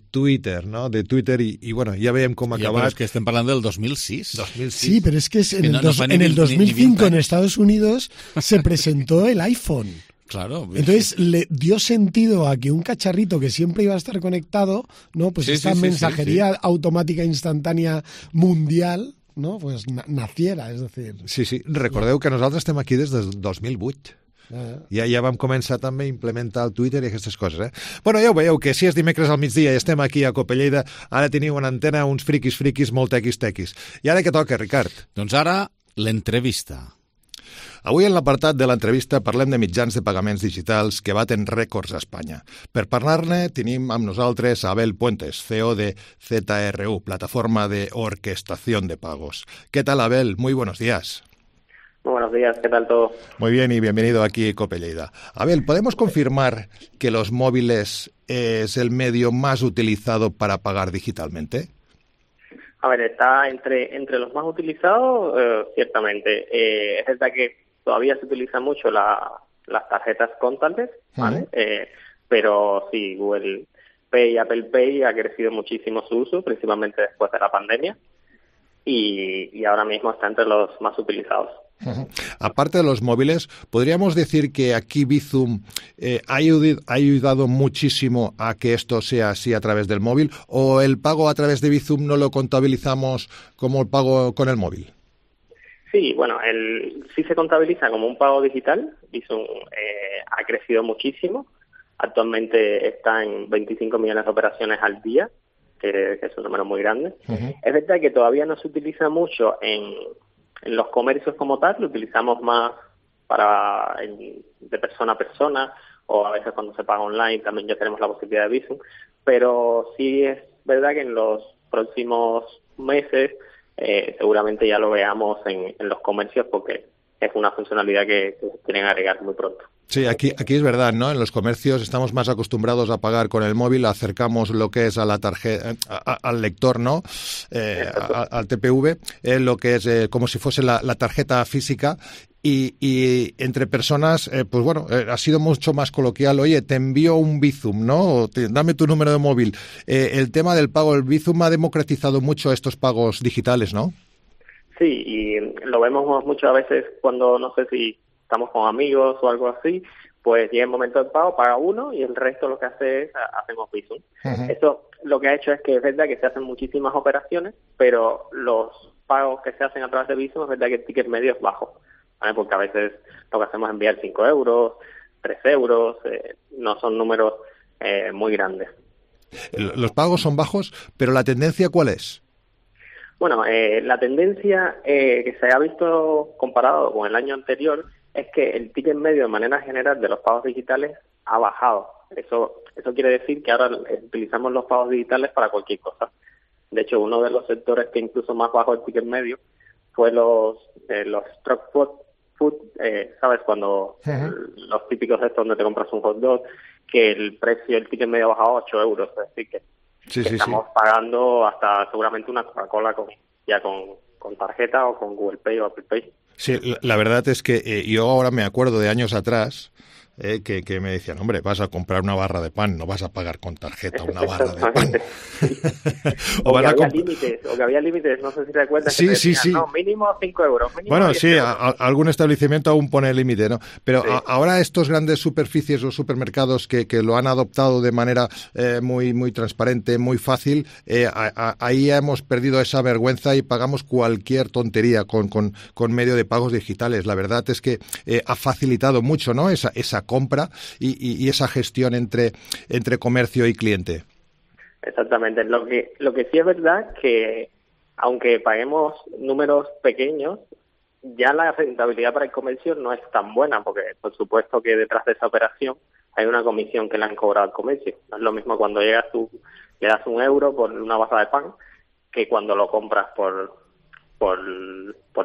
Twitter, ¿no? De Twitter i bueno, ja veiem com ha acabat. Però és que estem parlant del 2006. Sí, pero es que en el 2005 en Estados Unidos se presentó el iPhone. Claro. Entonces le dio sentido a que un cacharrito que siempre iba a estar conectado, ¿no? Pues esta mensajería automática instantánea mundial, ¿no? Pues naciera, és decir... Sí. Recordeu que nosaltres estem aquí des del 2008. Ja vam començar també a implementar el Twitter i aquestes coses, Bueno, ja ho veieu, que si és dimecres al migdia i estem aquí a Copelleida, ara teniu en antena uns friquis molt tequis. I ara què toca, Ricard? Doncs ara, l'entrevista. Avui en l'apartat de l'entrevista parlem de mitjans de pagaments digitals que baten rècords a Espanya. Per parlar-ne tenim amb nosaltres a Abel Puentes, CEO de ZRU, plataforma de orquestación de pagos. ¿Qué tal, Abel? Muy buenos días. Muy buenos días, ¿qué tal todo? Muy bien y bienvenido aquí a Copelleida. Abel, ¿podemos confirmar que los móviles es el medio más utilizado para pagar digitalmente? A ver, está entre los más utilizados, ciertamente. Es verdad que todavía se utiliza mucho las tarjetas contactless, ¿vale? Pero sí, Google Pay y Apple Pay ha crecido muchísimo su uso, principalmente después de la pandemia, y ahora mismo está entre los más utilizados. Aparte de los móviles, ¿podríamos decir que aquí Bizum ha ayudado muchísimo a que esto sea así a través del móvil? ¿O el pago a través de Bizum no lo contabilizamos como el pago con el móvil? Sí, bueno, sí se contabiliza como un pago digital. Bizum ha crecido muchísimo, actualmente está en 25 millones de operaciones al día, que es un número muy grande. Es verdad que todavía no se utiliza mucho en los comercios como tal, lo utilizamos más de persona a persona, o a veces cuando se paga online también ya tenemos la posibilidad de Bizum, pero sí es verdad que en los próximos meses seguramente ya lo veamos en los comercios, porque es una funcionalidad que quieren agregar muy pronto. Sí, aquí es verdad, ¿no? En los comercios estamos más acostumbrados a pagar con el móvil, acercamos lo que es a la tarjeta, al lector, ¿no? Al TPV, lo que es como si fuese la tarjeta física. Y entre personas, pues bueno, ha sido mucho más coloquial. Oye, te envío un Bizum, ¿no? Dame tu número de móvil. El tema del pago, el Bizum ha democratizado mucho estos pagos digitales, ¿no? Sí, y lo vemos muchas veces cuando, no sé si estamos con amigos o algo así, pues llega el momento del pago, paga uno y el resto lo que hace es hacemos Bizum. Eso lo que ha hecho es que es verdad que se hacen muchísimas operaciones, pero los pagos que se hacen a través de Bizum es verdad que el ticket medio es bajo, ¿vale? Porque a veces lo que hacemos es enviar 5 euros, 3 euros, no son números muy grandes. Los pagos son bajos, pero ¿la tendencia cuál es? Bueno, la tendencia que se ha visto comparado con el año anterior es que el ticket medio de manera general de los pagos digitales ha bajado. Eso quiere decir que ahora utilizamos los pagos digitales para cualquier cosa. De hecho, uno de los sectores que incluso más bajó el ticket medio fue los truck food, ¿sabes? Cuando los típicos estos donde te compras un hot dog, que el precio del ticket medio ha bajado a 8 euros. Es decir, que estamos pagando hasta seguramente una Coca-Cola con tarjeta o con Google Pay o Apple Pay. Sí, la verdad es que yo ahora me acuerdo de años atrás que me decían, hombre, vas a comprar una barra de pan, no vas a pagar con tarjeta una barra de pan. o que había límites, no sé si te acuerdas. Sí, que te decían, sí. No, mínimo 5 euros. Bueno, sí, algún establecimiento aún pone límite, ¿no? Pero ahora estos grandes superficies o supermercados que lo han adoptado de manera muy transparente, muy fácil, ahí hemos perdido esa vergüenza y pagamos cualquier tontería con medio de pagos digitales. La verdad es que ha facilitado mucho, ¿no? Esa compra y esa gestión entre comercio y cliente. Exactamente. Lo que sí es verdad que aunque paguemos números pequeños, ya la rentabilidad para el comercio no es tan buena, porque por supuesto que detrás de esa operación hay una comisión que le han cobrado al comercio. No es lo mismo cuando llegas tú, le das 1 euro por una barra de pan que cuando lo compras por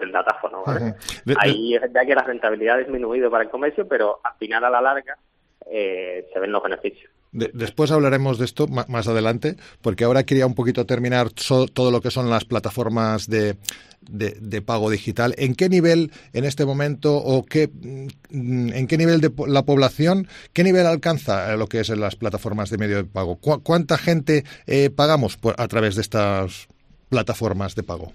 el datáfono, ¿vale? Ahí es verdad que la rentabilidad ha disminuido para el comercio, pero al final, a la larga, se ven los beneficios. Después hablaremos de esto más adelante, porque ahora quería un poquito terminar todo lo que son las plataformas de pago digital. ¿En qué nivel en este momento en qué nivel de la población, qué nivel alcanza lo que es en las plataformas de medio de pago? ¿Cuánta gente pagamos a través de estas plataformas de pago?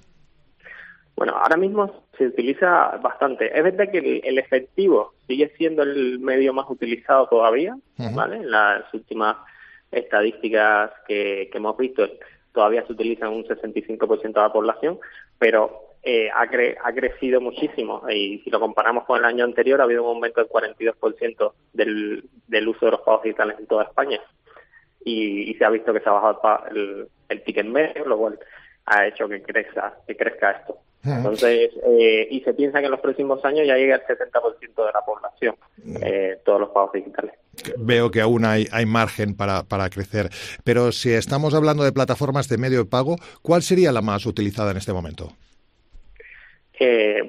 Bueno, ahora mismo se utiliza bastante. Es verdad que el efectivo sigue siendo el medio más utilizado todavía, ¿vale? En las últimas estadísticas que hemos visto, todavía se utiliza un 65% de la población, pero ha crecido muchísimo. Y si lo comparamos con el año anterior, ha habido un aumento del 42% del uso de los pagos digitales en toda España. Y se ha visto que se ha bajado el ticket medio, lo cual ha hecho que crezca esto. Entonces, y se piensa que en los próximos años ya llega el 70% de la población, todos los pagos digitales. Veo que aún hay margen para crecer. Pero si estamos hablando de plataformas de medio de pago, ¿cuál sería la más utilizada en este momento?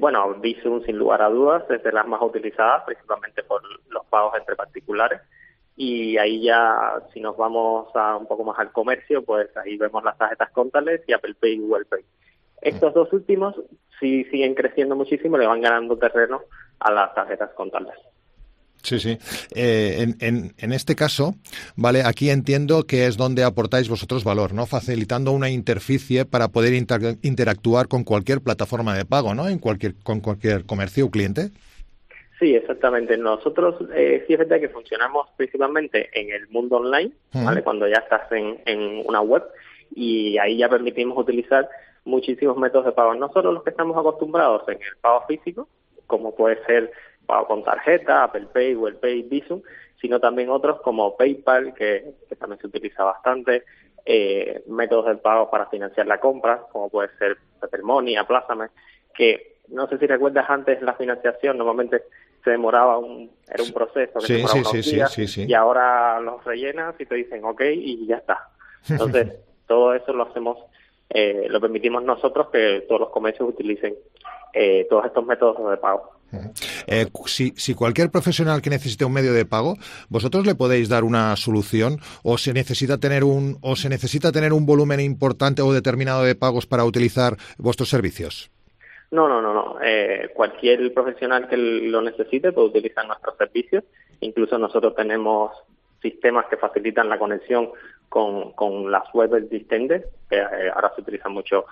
Bueno, Bizum, sin lugar a dudas, es de las más utilizadas, principalmente por los pagos entre particulares. Y ahí ya, si nos vamos un poco más al comercio, pues ahí vemos las tarjetas contactless y Apple Pay y Google Pay. Estos dos últimos sí siguen creciendo muchísimo, le van ganando terreno a las tarjetas contactless. Sí. En este caso, vale, aquí entiendo que es donde aportáis vosotros valor, ¿no? Facilitando una interficie para poder interactuar con cualquier plataforma de pago, ¿no? Con cualquier comercio o cliente. Sí, exactamente. Nosotros sí es verdad que funcionamos principalmente en el mundo online, ¿vale? Cuando ya estás en una web, y ahí ya permitimos utilizar muchísimos métodos de pago. No solo los que estamos acostumbrados en el pago físico, como puede ser pago con tarjeta, Apple Pay, Google Pay, Bizum, sino también otros como PayPal, que también se utiliza bastante, métodos de pago para financiar la compra, como puede ser Pepper Money, Aplázame, que no sé si recuerdas antes la financiación, normalmente se demoraba era un proceso que se demoraba unos días, y ahora los rellenas y te dicen ok y ya está. Entonces, todo eso lo hacemos, lo permitimos nosotros que todos los comercios utilicen todos estos métodos de pago. Si cualquier profesional que necesite un medio de pago, ¿vosotros le podéis dar una solución o se necesita tener un volumen importante o determinado de pagos para utilizar vuestros servicios? No. Cualquier profesional que lo necesite puede utilizar nuestros servicios. Incluso nosotros tenemos sistemas que facilitan la conexión con las webs existentes. Ahora se utiliza mucho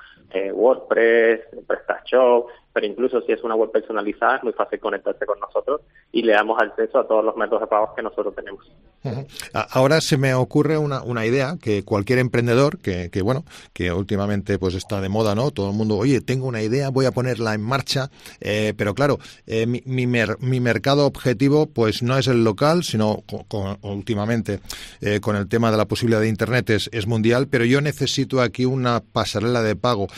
WordPress, PrestaShop, pero incluso si es una web personalizada es muy fácil conectarse con nosotros y le damos acceso a todos los métodos de pagos que nosotros tenemos. Ahora se me ocurre una idea que cualquier emprendedor que últimamente pues está de moda, ¿no? Todo el mundo, oye, tengo una idea, voy a ponerla en marcha, pero claro, mi mercado objetivo pues no es el local, sino últimamente con el tema de la posibilidad de Internet es mundial, pero yo necesito aquí una pasarela de pago.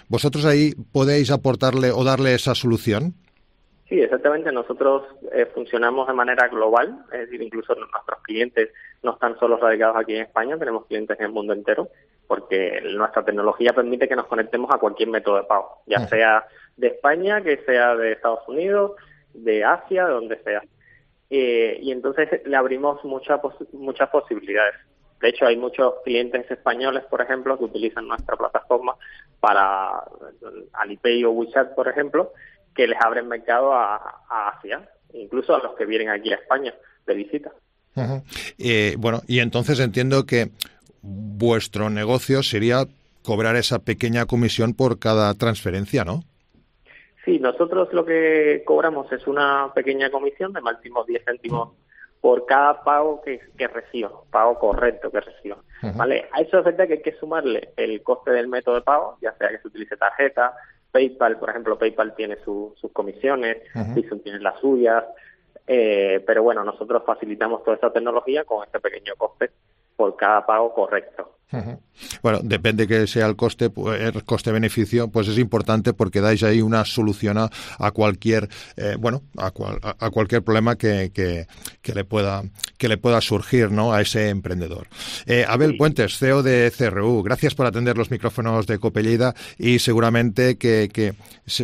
¿Vosotros ahí podéis aportarle o darle esa solución? Sí, exactamente. Nosotros funcionamos de manera global, es decir, incluso nuestros clientes no están solo radicados aquí en España, tenemos clientes en el mundo entero, porque nuestra tecnología permite que nos conectemos a cualquier método de pago, ya sea de España, que sea de Estados Unidos, de Asia, de donde sea. Y entonces le abrimos muchas posibilidades. De hecho, hay muchos clientes españoles, por ejemplo, que utilizan nuestra plataforma para Alipay o WeChat, por ejemplo, que les abren mercado a Asia, incluso a los que vienen aquí a España de visita. Y entonces entiendo que vuestro negocio sería cobrar esa pequeña comisión por cada transferencia, ¿no? Sí, nosotros lo que cobramos es una pequeña comisión de máximo 10 céntimos por cada pago que recibo, pago correcto que recibo. ¿Vale? A eso es verdad que hay que sumarle el coste del método de pago, ya sea que se utilice tarjeta, PayPal, por ejemplo, PayPal tiene sus comisiones, Bizum tiene las suyas, pero bueno, nosotros facilitamos toda esa tecnología con este pequeño coste por cada pago correcto. Bueno, depende que sea el coste-beneficio, pues es importante porque dais ahí una solución a cualquier a cualquier problema que le pueda surgir, ¿no?, a ese emprendedor. Abel Puentes, CEO de CRU, gracias por atender los micrófonos de COPE Lleida y seguramente que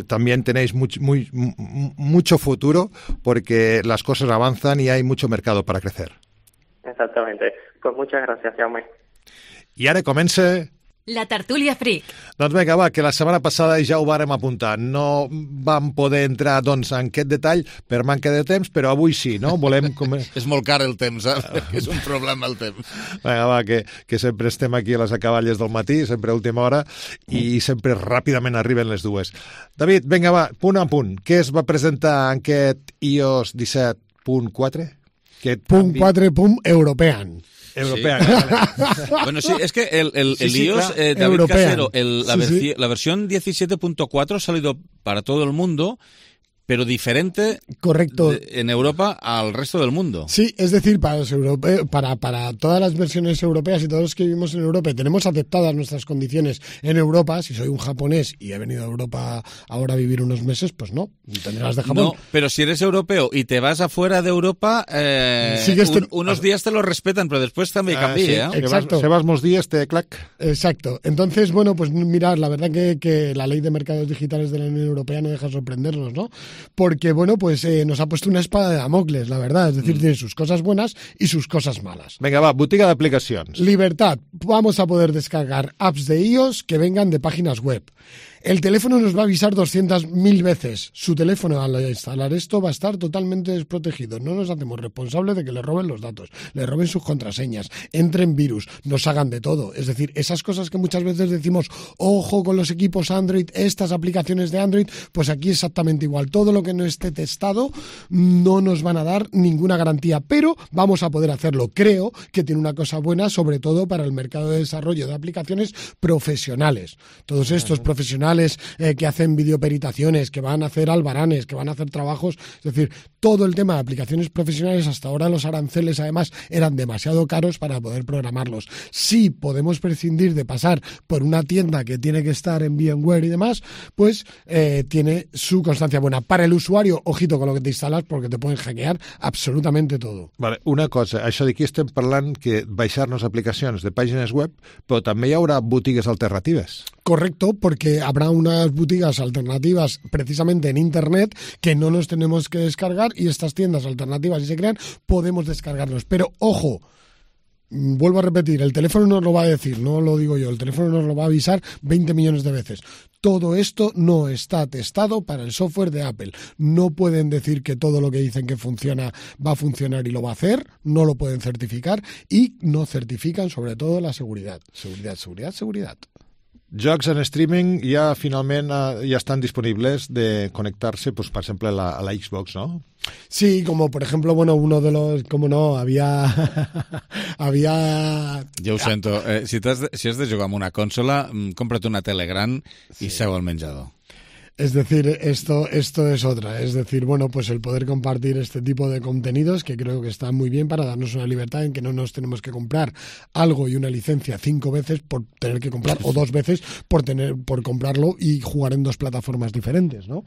también tenéis mucho futuro porque las cosas avanzan y hay mucho mercado para crecer. Exactamente. Pues muchas gracias, Jaume. I ara comença... La tertúlia Freak. Doncs vinga, va, que la setmana passada ja ho vàrem apuntar. No vam poder entrar, doncs, en aquest detall per manca de temps, però avui sí, no? Volem... És molt car el temps, és un problema el temps. Vinga, va, que sempre estem aquí a les acaballes del matí, sempre a última hora, i sempre ràpidament arriben les dues. David, vinga, va, punt a punt. Què es va presentar en aquest iOS 17.4? Punt 4, punt European. Europea. Sí. Bueno, sí, es que el iOS, David European. Casero, la versión 17.4 ha salido para todo el mundo, pero diferente correcto en Europa al resto del mundo. Sí, es decir, para los para todas las versiones europeas y todos los que vivimos en Europa y tenemos aceptadas nuestras condiciones en Europa, si soy un japonés y he venido a Europa ahora a vivir unos meses, pues no, tendrás de Japón. No, pero si eres europeo y te vas afuera de Europa, unos días te lo respetan, pero después también cambia. Sí, exacto. Sebas días te clac. Exacto. Entonces, bueno, pues mirad, la verdad que la ley de mercados digitales de la Unión Europea no deja sorprendernos, ¿no? Porque, bueno, pues nos ha puesto una espada de Damocles, la verdad. Es decir, tiene sus cosas buenas y sus cosas malas. Venga, va, botiga de aplicaciones. Libertad. Vamos a poder descargar apps de iOS que vengan de páginas web. El teléfono nos va a avisar 200.000 veces. Su teléfono, al instalar esto, va a estar totalmente desprotegido. No nos hacemos responsables de que le roben los datos, le roben sus contraseñas, entren virus, nos hagan de todo. Es decir, esas cosas que muchas veces decimos, ojo con los equipos Android, estas aplicaciones de Android, pues aquí exactamente igual. Todo lo que no esté testado no nos van a dar ninguna garantía, pero vamos a poder hacerlo. Creo que tiene una cosa buena, sobre todo para el mercado de desarrollo de aplicaciones profesionales. Todos estos profesionales profesionales que hacen videoperitaciones, que van a hacer albaranes, que van a hacer trabajos, es decir, todo el tema de aplicaciones profesionales, hasta ahora los aranceles además eran demasiado caros para poder programarlos. Si podemos prescindir de pasar por una tienda que tiene que estar en VMware y demás, pues tiene su constancia buena. Para el usuario, ojito con lo que te instalas, porque te pueden hackear absolutamente todo. Vale, una cosa, això d'aquí estem parlant que baixar-nos aplicacions de pàgines web, però també hi haurà botigues alternatives. Correcto, porque habrá unas boutiques alternativas precisamente en Internet que no nos tenemos que descargar y estas tiendas alternativas, si se crean, podemos descargarlos. Pero, ojo, vuelvo a repetir, el teléfono nos lo va a decir, no lo digo yo, el teléfono nos lo va a avisar 20 millones de veces. Todo esto no está testado para el software de Apple. No pueden decir que todo lo que dicen que funciona va a funcionar y lo va a hacer, no lo pueden certificar y no certifican sobre todo la seguridad. Seguridad. Jocs en streaming ja finalment ja estan disponibles de connectar-se, pues, per exemple, a la Xbox, ¿no? Sí, como por ejemplo, bueno, uno de los, como no, había... Jo ho sento, si has de jugar amb una consola, cómprate una tele gran i seu al menjador. Es decir, esto es otra. Es decir, bueno, pues el poder compartir este tipo de contenidos, que creo que está muy bien para darnos una libertad en que no nos tenemos que comprar algo y una licencia 5 veces por tener que comprar, o 2 veces por comprarlo y jugar en 2 plataformas diferentes, ¿no?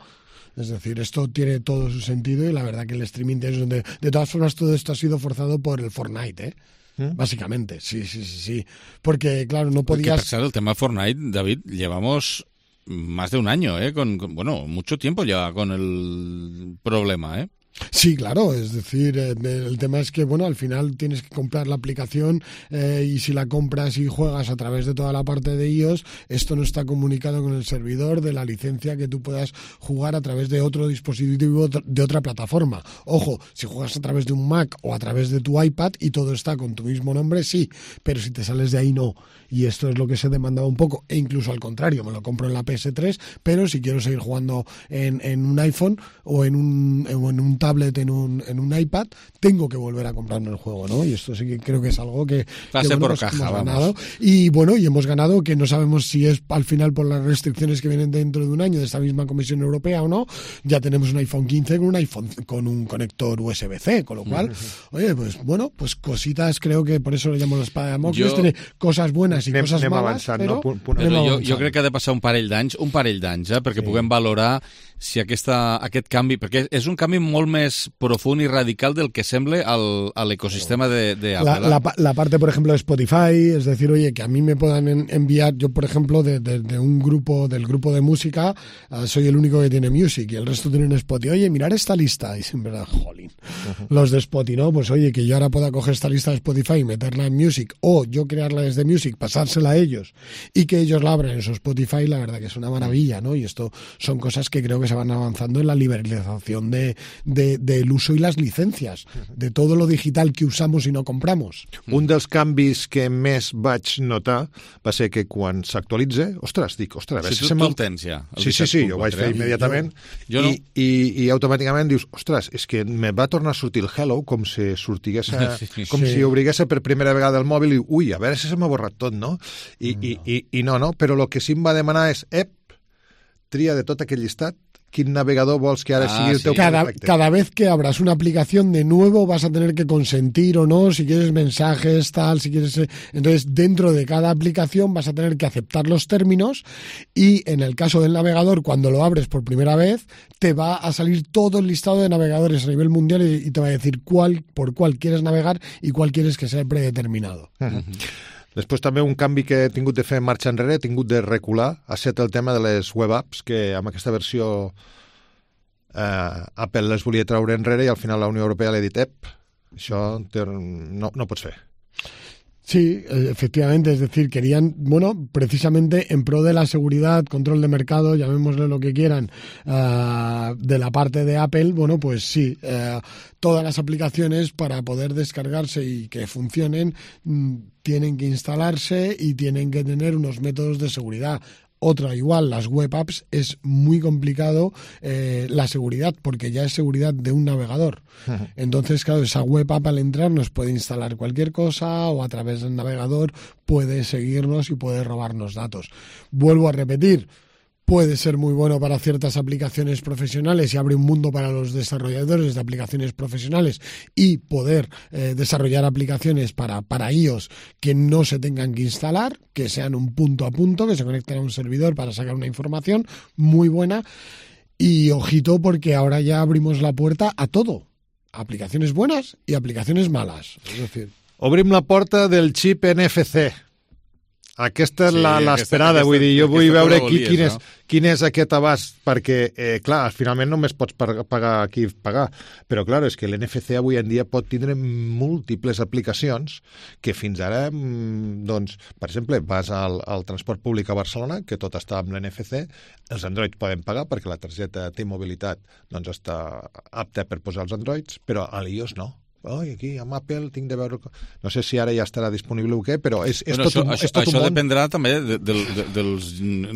Es decir, esto tiene todo su sentido y la verdad que el streaming es donde... De todas formas, todo esto ha sido forzado por el Fortnite, ¿eh? Básicamente, sí. Porque, claro, no podías... Porque, el tema Fortnite, David, llevamos... más de un año, bueno, mucho tiempo ya con el problema, Sí, claro, es decir, el tema es que, bueno, al final tienes que comprar la aplicación y si la compras y juegas a través de toda la parte de iOS, esto no está comunicado con el servidor de la licencia que tú puedas jugar a través de otro dispositivo de otra plataforma. Ojo, si juegas a través de un Mac o a través de tu iPad y todo está con tu mismo nombre, sí, pero si te sales de ahí, no. Y esto es lo que se demandaba un poco, e incluso al contrario, me lo compro en la PS3, pero si quiero seguir jugando en un iPhone o en un tablet, en un iPad, tengo que volver a comprarme el juego, ¿no? Y esto sí que creo que es algo que por caja, hemos ganado. Y bueno, y hemos ganado, que no sabemos si es al final por las restricciones que vienen dentro de un año de esta misma Comisión Europea o no. Ya tenemos un iPhone 15 con un conector USB-C, con lo cual, oye, pues bueno, pues cositas, creo que por eso le llamo la espada de Damocles, tiene cosas buenas i coses malas, però... Jo crec que ha de passar un parell d'anys, perquè puguem valorar si aquest canvi, perquè és un canvi molt més profund y radical del que semble al ecosistema de Apple. La parte, por ejemplo, de Spotify, es decir, oye, que a mí me puedan enviar, yo, por ejemplo, de un grupo, del grupo de música, soy el único que tiene Music y el resto tienen Spotify. Oye, mirar esta lista. Y siempre, jolín. Los de Spotify, ¿no? Pues oye, que yo ahora pueda coger esta lista de Spotify y meterla en Music, o yo crearla desde Music, pasársela a ellos y que ellos la abran en su Spotify, la verdad que es una maravilla, ¿no? Y esto son cosas que creo que se van avanzando en la liberalización del uso i les llicències, de tot lo digital que usamos i no compramos. Un dels canvis que més vaig notar va ser que quan s'actualitza, dic, a veure si tu el tens ja. Sí, jo ho vaig fer immediatament i automàticament dius, és que me va tornar a sortir el Hello com si si obrigués per primera vegada el mòbil i, a veure si se m'ha borrat tot, no? I no, però el que sí em va demanar és, tria de tot aquell llistat quin navegador vols que ara sigui el teu perfecte. Cada vez que abras una aplicación de nuevo vas a tener que consentir o no, si quieres mensajes, tal, si quieres... Entonces, dentro de cada aplicación vas a tener que aceptar los términos y en el caso del navegador, cuando lo abres por primera vez, te va a salir todo el listado de navegadores a nivel mundial y te va a decir por cuál quieres navegar y cuál quieres que sea predeterminado. Després també un canvi que he tingut de fer marxa enrere, he tingut de recular, ha estat el tema de les web apps, que amb aquesta versió Apple les volia treure enrere i al final la Unió Europea li ha dit, això no pots fer. Sí, efectivamente, es decir, querían, bueno, precisamente en pro de la seguridad, control de mercado, llamémosle lo que quieran, de la parte de Apple, bueno, pues sí, todas las aplicaciones para poder descargarse y que funcionen tienen que instalarse y tienen que tener unos métodos de seguridad. Otra, igual, las web apps es muy complicado la seguridad, porque ya es seguridad de un navegador. Entonces, claro, esa web app al entrar nos puede instalar cualquier cosa o a través del navegador puede seguirnos y puede robarnos datos. Vuelvo a repetir, puede ser muy bueno para ciertas aplicaciones profesionales y abre un mundo para los desarrolladores de aplicaciones profesionales y poder desarrollar aplicaciones para iOS que no se tengan que instalar, que sean un punto a punto, que se conecten a un servidor para sacar una información muy buena. Y ojito, porque ahora ya abrimos la puerta a todo. Aplicaciones buenas y aplicaciones malas. És a dir... Obrim la porta del xip NFC. Aquesta és l'esperada, vull dir, jo vull veure quin és aquest abast, perquè, clar, finalment només pots pagar aquí pagar, però, clar, és que l'NFC avui en dia pot tindre múltiples aplicacions que fins ara, doncs, per exemple, vas al transport públic a Barcelona, que tot està amb l'NFC, els Androids poden pagar perquè la targeta T-Mobilitat doncs, està apta per posar els Androids, però a l'iOS no. Aquí amb Apple tinc de veure... No sé si ara ja estarà disponible o què, però és tot un món. Això dependrà també dels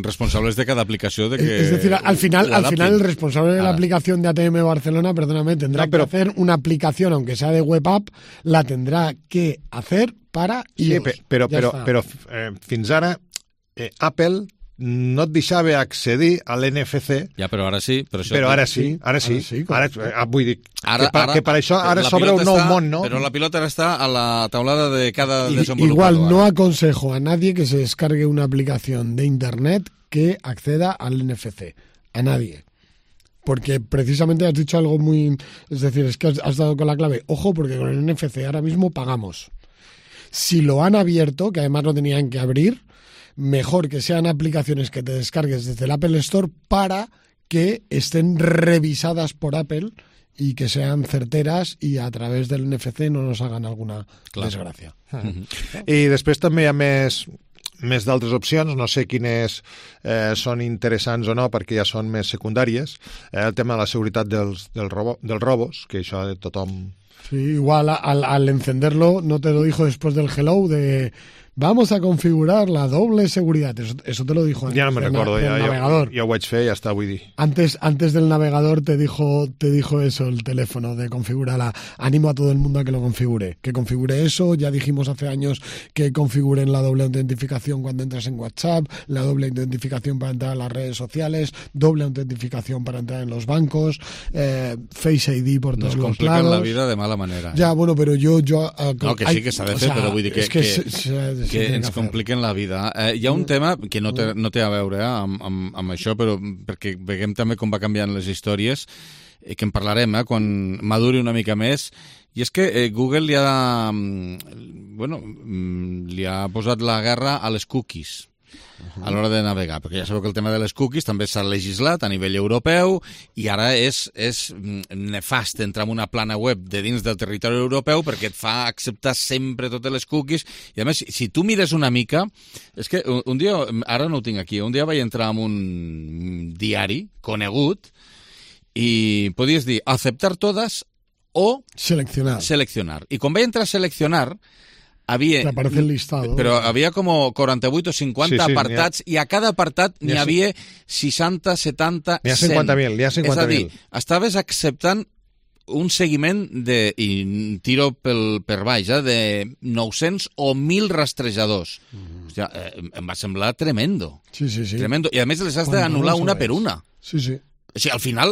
responsables de cada aplicació. Es decir, al final el responsable de la aplicación de ATM Barcelona, perdóname, tendrá que hacer una aplicación, aunque sea de web app, la tendrà que hacer para iOS. Sí, però fins ara Apple no et deixava accedir a l'NFC. Ja, però ara sí. Però ara sí. Vull dir que per això ara s'obre un nou món, ¿no? Però la pilota ara està a la taulada de cada desenvolupador. Igual no aconsejo a nadie que se descargue una aplicación de Internet que acceda al NFC. A nadie. Porque precisamente has dicho algo muy... Es decir, es que has dado con la clave. Ojo, porque con el NFC ahora mismo pagamos. Si lo han abierto, que además lo tenían que abrir, mejor que sean aplicaciones que te descargues desde el Apple Store para que estén revisadas por Apple y que sean certeras y a través del NFC no nos hagan alguna desgràcia. I després també hi ha més d'altres opcions, no sé quines són interessants o no, perquè ja són més secundàries. El tema de la seguretat dels robos, que això de tothom... Sí, igual al encenderlo no te lo dijo después del hello de... Vamos a configurar la doble seguridad. Eso te lo dijo antes. Ya no me recuerdo, del navegador. Ya ho vaig fer, ja està, vull dir. Antes del navegador te dijo eso el teléfono de configurarla. Animo a todo el mundo a que lo configure. Que configure eso. Ya dijimos hace años que configuren la doble autentificación cuando entras en WhatsApp, la doble autentificación para entrar a las redes sociales, doble autentificación para entrar en los bancos, Face ID por todos los lados. Nos complican la vida de mala manera. Ya, bueno, pero yo no, que sí que s'ha de fer, però vull dir que ens compliquen la vida. Hi ha un tema que no té a veure amb això, però perquè veiem també com va canviant les històries, que en parlarem quan maduri una mica més, i és que Google li ha posat la guerra a les cookies a l'hora de navegar, perquè ja sabeu que el tema de les cookies també s'ha legislat a nivell europeu i ara és nefast entrar en una plana web de dins del territori europeu perquè et fa acceptar sempre totes les cookies i a més, si tu mires una mica, és que un dia, ara no ho tinc aquí, un dia vaig entrar en un diari conegut i podies dir aceptar totes o seleccionar. I quan vaig entrar a seleccionar te aparece el listado. Però havia com 48 o 50 apartats i a cada apartat n'hi havia 60, 70, 100. N'hi ha 50.000. És a dir, estaves acceptant un seguiment i tiro per baix, de 900 o 1.000 rastrejadors. Hòstia, em va semblar tremendo. Sí. Tremendo. I a més les has d'anul·lar una per una. Sí. O sigui, al final,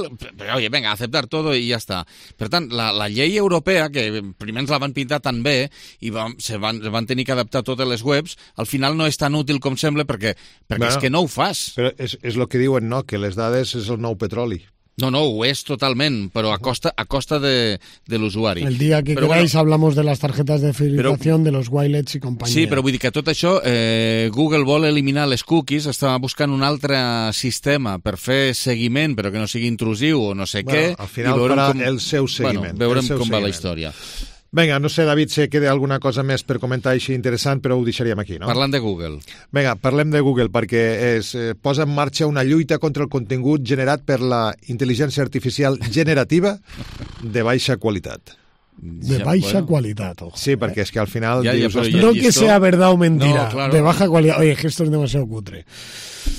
oye, venga, aceptar todo y ya está. Per tant, la llei europea, que primer ens la van pintar tan bé i se van tenir que adaptar totes les webs, al final no és tan útil com sembla perquè és que no ho fas. Però és el que diuen, no?, que les dades és el nou petroli. No, ho és totalment, però a costa de l'usuari. El dia que queráis hablamos de las tarjetas de fidelización, de los wirelets y compañía. Sí, però vull dir que tot això, Google vol eliminar les cookies, està buscant un altre sistema per fer seguiment, però que no sigui intrusiu o no sé què. Al final farà el seu seguiment. Veurem com va la història. Vinga, no sé, David, si queda alguna cosa més per comentar així interessant, però ho deixaríem aquí, no? Parlant de Google. Vinga, parlem de Google, perquè posa en marxa una lluita contra el contingut generat per la intel·ligència artificial generativa de baixa qualitat. De baixa qualitat, ojo. Sí, perquè és que al final... No que sea verdad o mentira, de baja qualitat. Oye, que esto es demasiado cutre.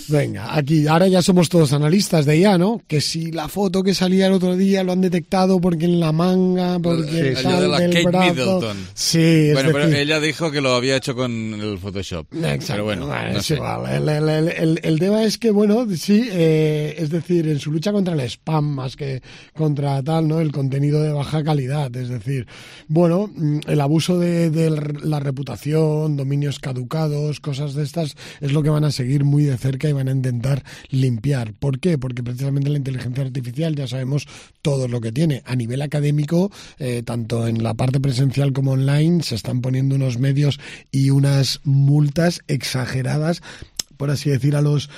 Venga, aquí, ahora ya somos todos analistas de IA, ¿no? Que si la foto que salía el otro día lo han detectado porque en la manga, porque allò de la del Kate brazo. Middleton. Sí, bueno, pero decir... ella dijo que lo había hecho con el Photoshop. Exacto. Pero bueno, no es sé. igual. El tema es que, bueno, sí, es decir, en su lucha contra el spam más que contra tal, ¿no? El contenido de baja calidad, es decir, bueno, el abuso de la reputación, dominios caducados, cosas de estas, es lo que van a seguir muy de cerca y van a intentar limpiar. ¿Por qué? Porque precisamente la inteligencia artificial ya sabemos todo lo que tiene. A nivel académico, tanto en la parte presencial como online, se están poniendo unos medios y unas multas exageradas, por así decir, a los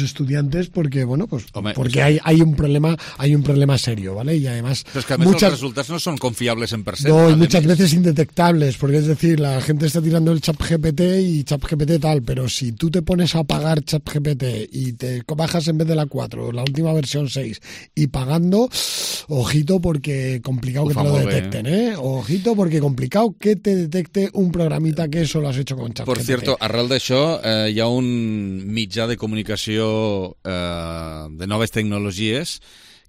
estudiantes, porque bueno, pues Home, porque hay un problema serio, ¿vale? Y además Pero es que a més els resultats no són confiables en percent. no, y muchas veces indetectables, porque es decir, la gente está tirando el ChatGPT y ChatGPT tal, pero si tú te pones a pagar ChatGPT y te bajas en vez de la 4, la última versión 6, y pagando, ojito porque complicado que te lo detecten, ¿eh? Ojito porque complicado que te detecte un programita que eso lo has hecho con ChatGPT. Por cierto, arrel d'això, hi ha un mitjà de comunicació de noves tecnologies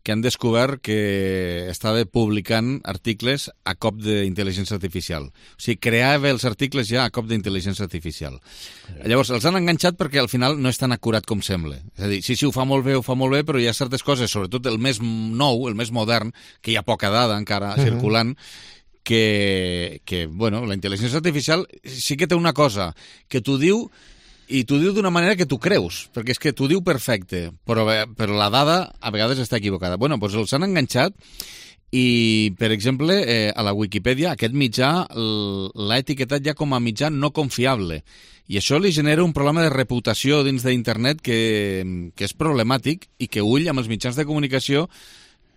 que han descobert que estava publicant articles a cop d'intel·ligència artificial. O sigui, creava els articles ja a cop d'intel·ligència artificial. Llavors, els han enganxat perquè al final no és tan acurat com sembla. És a dir, sí, ho fa molt bé, però hi ha certes coses, sobretot el més nou, el més modern, que hi ha poca dada encara circulant, que bueno, la intel·ligència artificial sí que té una cosa, que t'ho diu i t'ho diu d'una manera que tu creus, perquè és que t'ho diu perfecte, però la dada a vegades està equivocada. Bueno, doncs els han enganxat i, per exemple, a la Wikipedia aquest mitjà l'ha etiquetat ja com a mitjà no confiable. I això li genera un problema de reputació dins d'internet que és problemàtic i que ull amb els mitjans de comunicació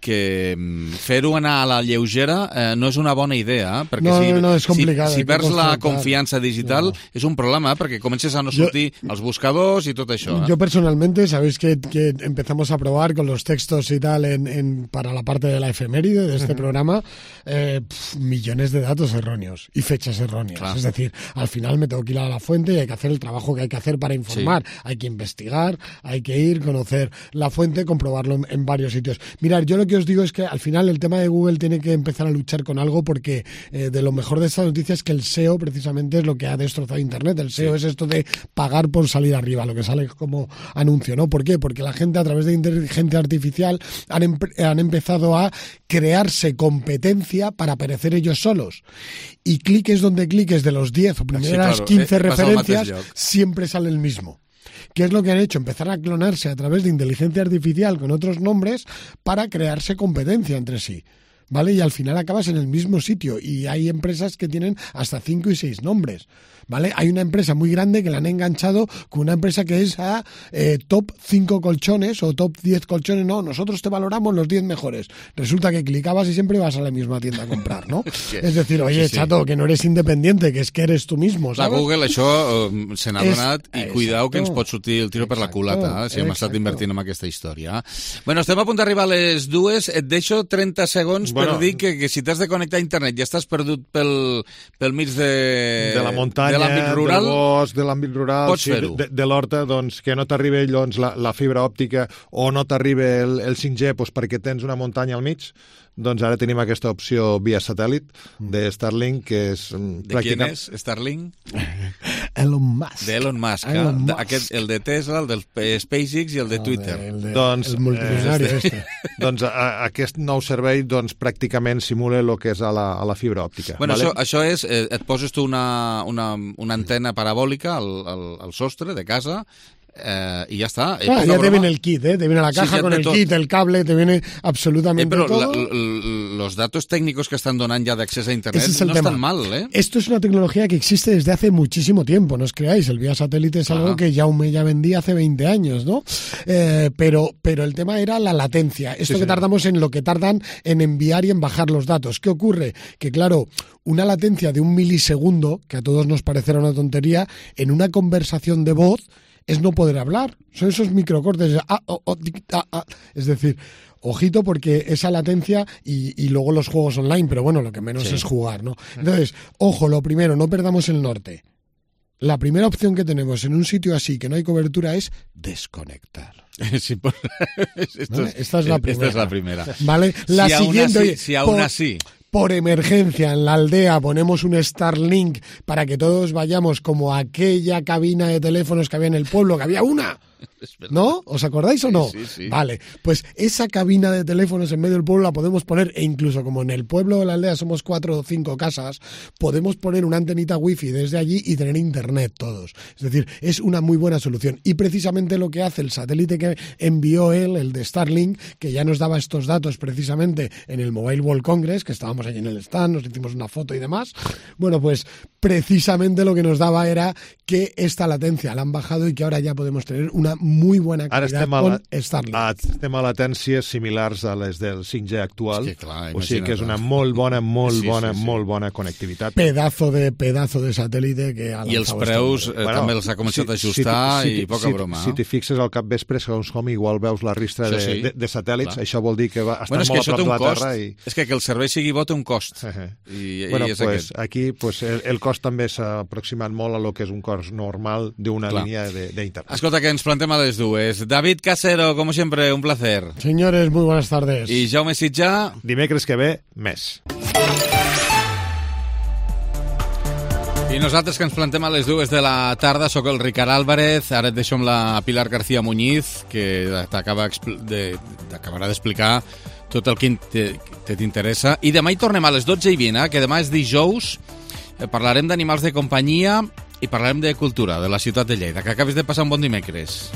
que fer-ho anar a la lleugera no és una bona idea, perquè és complicat, si perds la confianza digital és un problema, perquè comences a no sortir als buscadors y todo eso. Yo personalmente, sabéis que empezamos a probar con los textos y tal para la parte de la efeméride de este programa, millones de datos erróneos y fechas erróneas. Claro. Es decir, al final me tengo que ir a la fuente y hay que hacer el trabajo que hay que hacer para informar. Sí. Hay que investigar, hay que ir, conocer la fuente, comprobarlo en varios sitios. Mirad, yo lo que os digo es que al final el tema de Google tiene que empezar a luchar con algo, porque de lo mejor de esta noticia es que el SEO precisamente es lo que ha destrozado Internet. El SEO es esto de pagar por salir arriba, lo que sale como anuncio, ¿no? ¿Por qué? Porque la gente a través de inteligencia artificial han empezado a crearse competencia para aparecer ellos solos. Y cliques donde cliques de los 10 o primeras 15 referencias, siempre sale el mismo. ¿Qué es lo que han hecho? Empezar a clonarse a través de inteligencia artificial con otros nombres para crearse competencia entre sí, ¿vale? Y al final acabas en el mismo sitio y hay empresas que tienen hasta 5 y 6 nombres, ¿vale? Hay una empresa muy grande que la han enganchado con una empresa que es a top 5 colchones o top 10 colchones. No, nosotros te valoramos los 10 mejores. Resulta que clicabas y siempre vas a la misma tienda a comprar, ¿no? Es decir, oye, chato, que no eres independiente, que es que eres tú mismo, ¿sabes? La Google això se n'ha donat i cuidao que ens pot sortir el tiro per la culata, si hem estat invertint en aquesta història. Bueno, estem a punt d'arribar a les 2. Et deixo 30 segons per dir que si t'has de connectar a internet i estàs perdut pel mig de la muntanya, de l'àmbit rural, del bosc, de l'àmbit rural, pots fer-ho. De l'horta, doncs, que no t'arriba doncs, la fibra òptica o no t'arriba el 5G doncs, perquè tens una muntanya al mig, doncs ara tenim aquesta opció via satèl·lit de Starlink, que és De qui és Starlink? Elon Musk. D'Elon Musk, aquest, el de Tesla, el del SpaceX i el de Twitter. El multimilionari doncs aquest nou servei doncs, pràcticament simula el que és a la fibra òptica. Bueno, vale? Això és, et poses tu una antena parabòlica al sostre de casa y ya está. Ya te viene el kit, te viene la caja con el kit, el cable, te viene absolutamente todo. Los datos técnicos que están donando ya de acceso a Internet no están mal, ¿eh? Esto es una tecnología que existe desde hace muchísimo tiempo, no os creáis, el vía satélite es algo que Jaume ya vendía hace 20 años, ¿no? Pero el tema era la latencia, esto que tardamos en lo que tardan en enviar y en bajar los datos. ¿Qué ocurre? Que claro, una latencia de 1 milisegundo, que a todos nos parecerá una tontería, en una conversación de voz es no poder hablar, son esos microcortes, es decir, ojito porque esa latencia y luego los juegos online, pero bueno, lo que menos es jugar, ¿no? Entonces, ojo, lo primero, no perdamos el norte. la primera opción que tenemos en un sitio así que no hay cobertura es desconectar. Sí, pues, esta es la primera. Esta es la primera. ¿Vale? La siguiente, si aún así... Por emergencia, en la aldea ponemos un Starlink para que todos vayamos como aquella cabina de teléfonos que había en el pueblo, que había una. ¿No? ¿Os acordáis o no? Sí. Vale, pues esa cabina de teléfonos en medio del pueblo la podemos poner, e incluso como en el pueblo de la aldea somos 4 o 5 casas, podemos poner una antenita wifi desde allí y tener internet todos. Es decir, es una muy buena solución. Y precisamente lo que hace el satélite que envió él, el de Starlink, que ya nos daba estos datos precisamente en el Mobile World Congress, que estábamos allí en el stand, nos hicimos una foto y demás, bueno, pues precisamente lo que nos daba era que esta latencia la han bajado y que ahora ya podemos tener una muy buena calidad con Starlink. Estem a latències similars a les del 5G actual, és que, clar, o sigui que és una molt bona connectivitat. Pedazo de satèl·lite que ha I els preus també els ha començat a ajustar i poca broma. Si t'hi fixes al capvespre, segons com igual veus la ristra de satèl·lits, això vol dir que estan molt a prop de la Terra. És que el servei sigui bo té un cost. I és aquest. Aquí el cost també s'ha aproximat molt a lo que és un cost normal d'una línia d'internet. Escolta, que ens plantem a les dues. David Casero, como siempre, un placer. Señores, muy buenas tardes. I Jaume Sitjà. Dimecres que ve, més. I nosaltres que ens plantem a les 2 de la tarda, sóc el Ricard Álvarez, ara et deixo amb la Pilar García Muñiz, que t'acabarà d'explicar tot el que t'interessa. I demà hi tornem a les 12:20, que demà és dijous, parlarem d'animals de companyia i parlarem de cultura, de la ciutat de Lleida. Que acabis de passar un bon dimecres.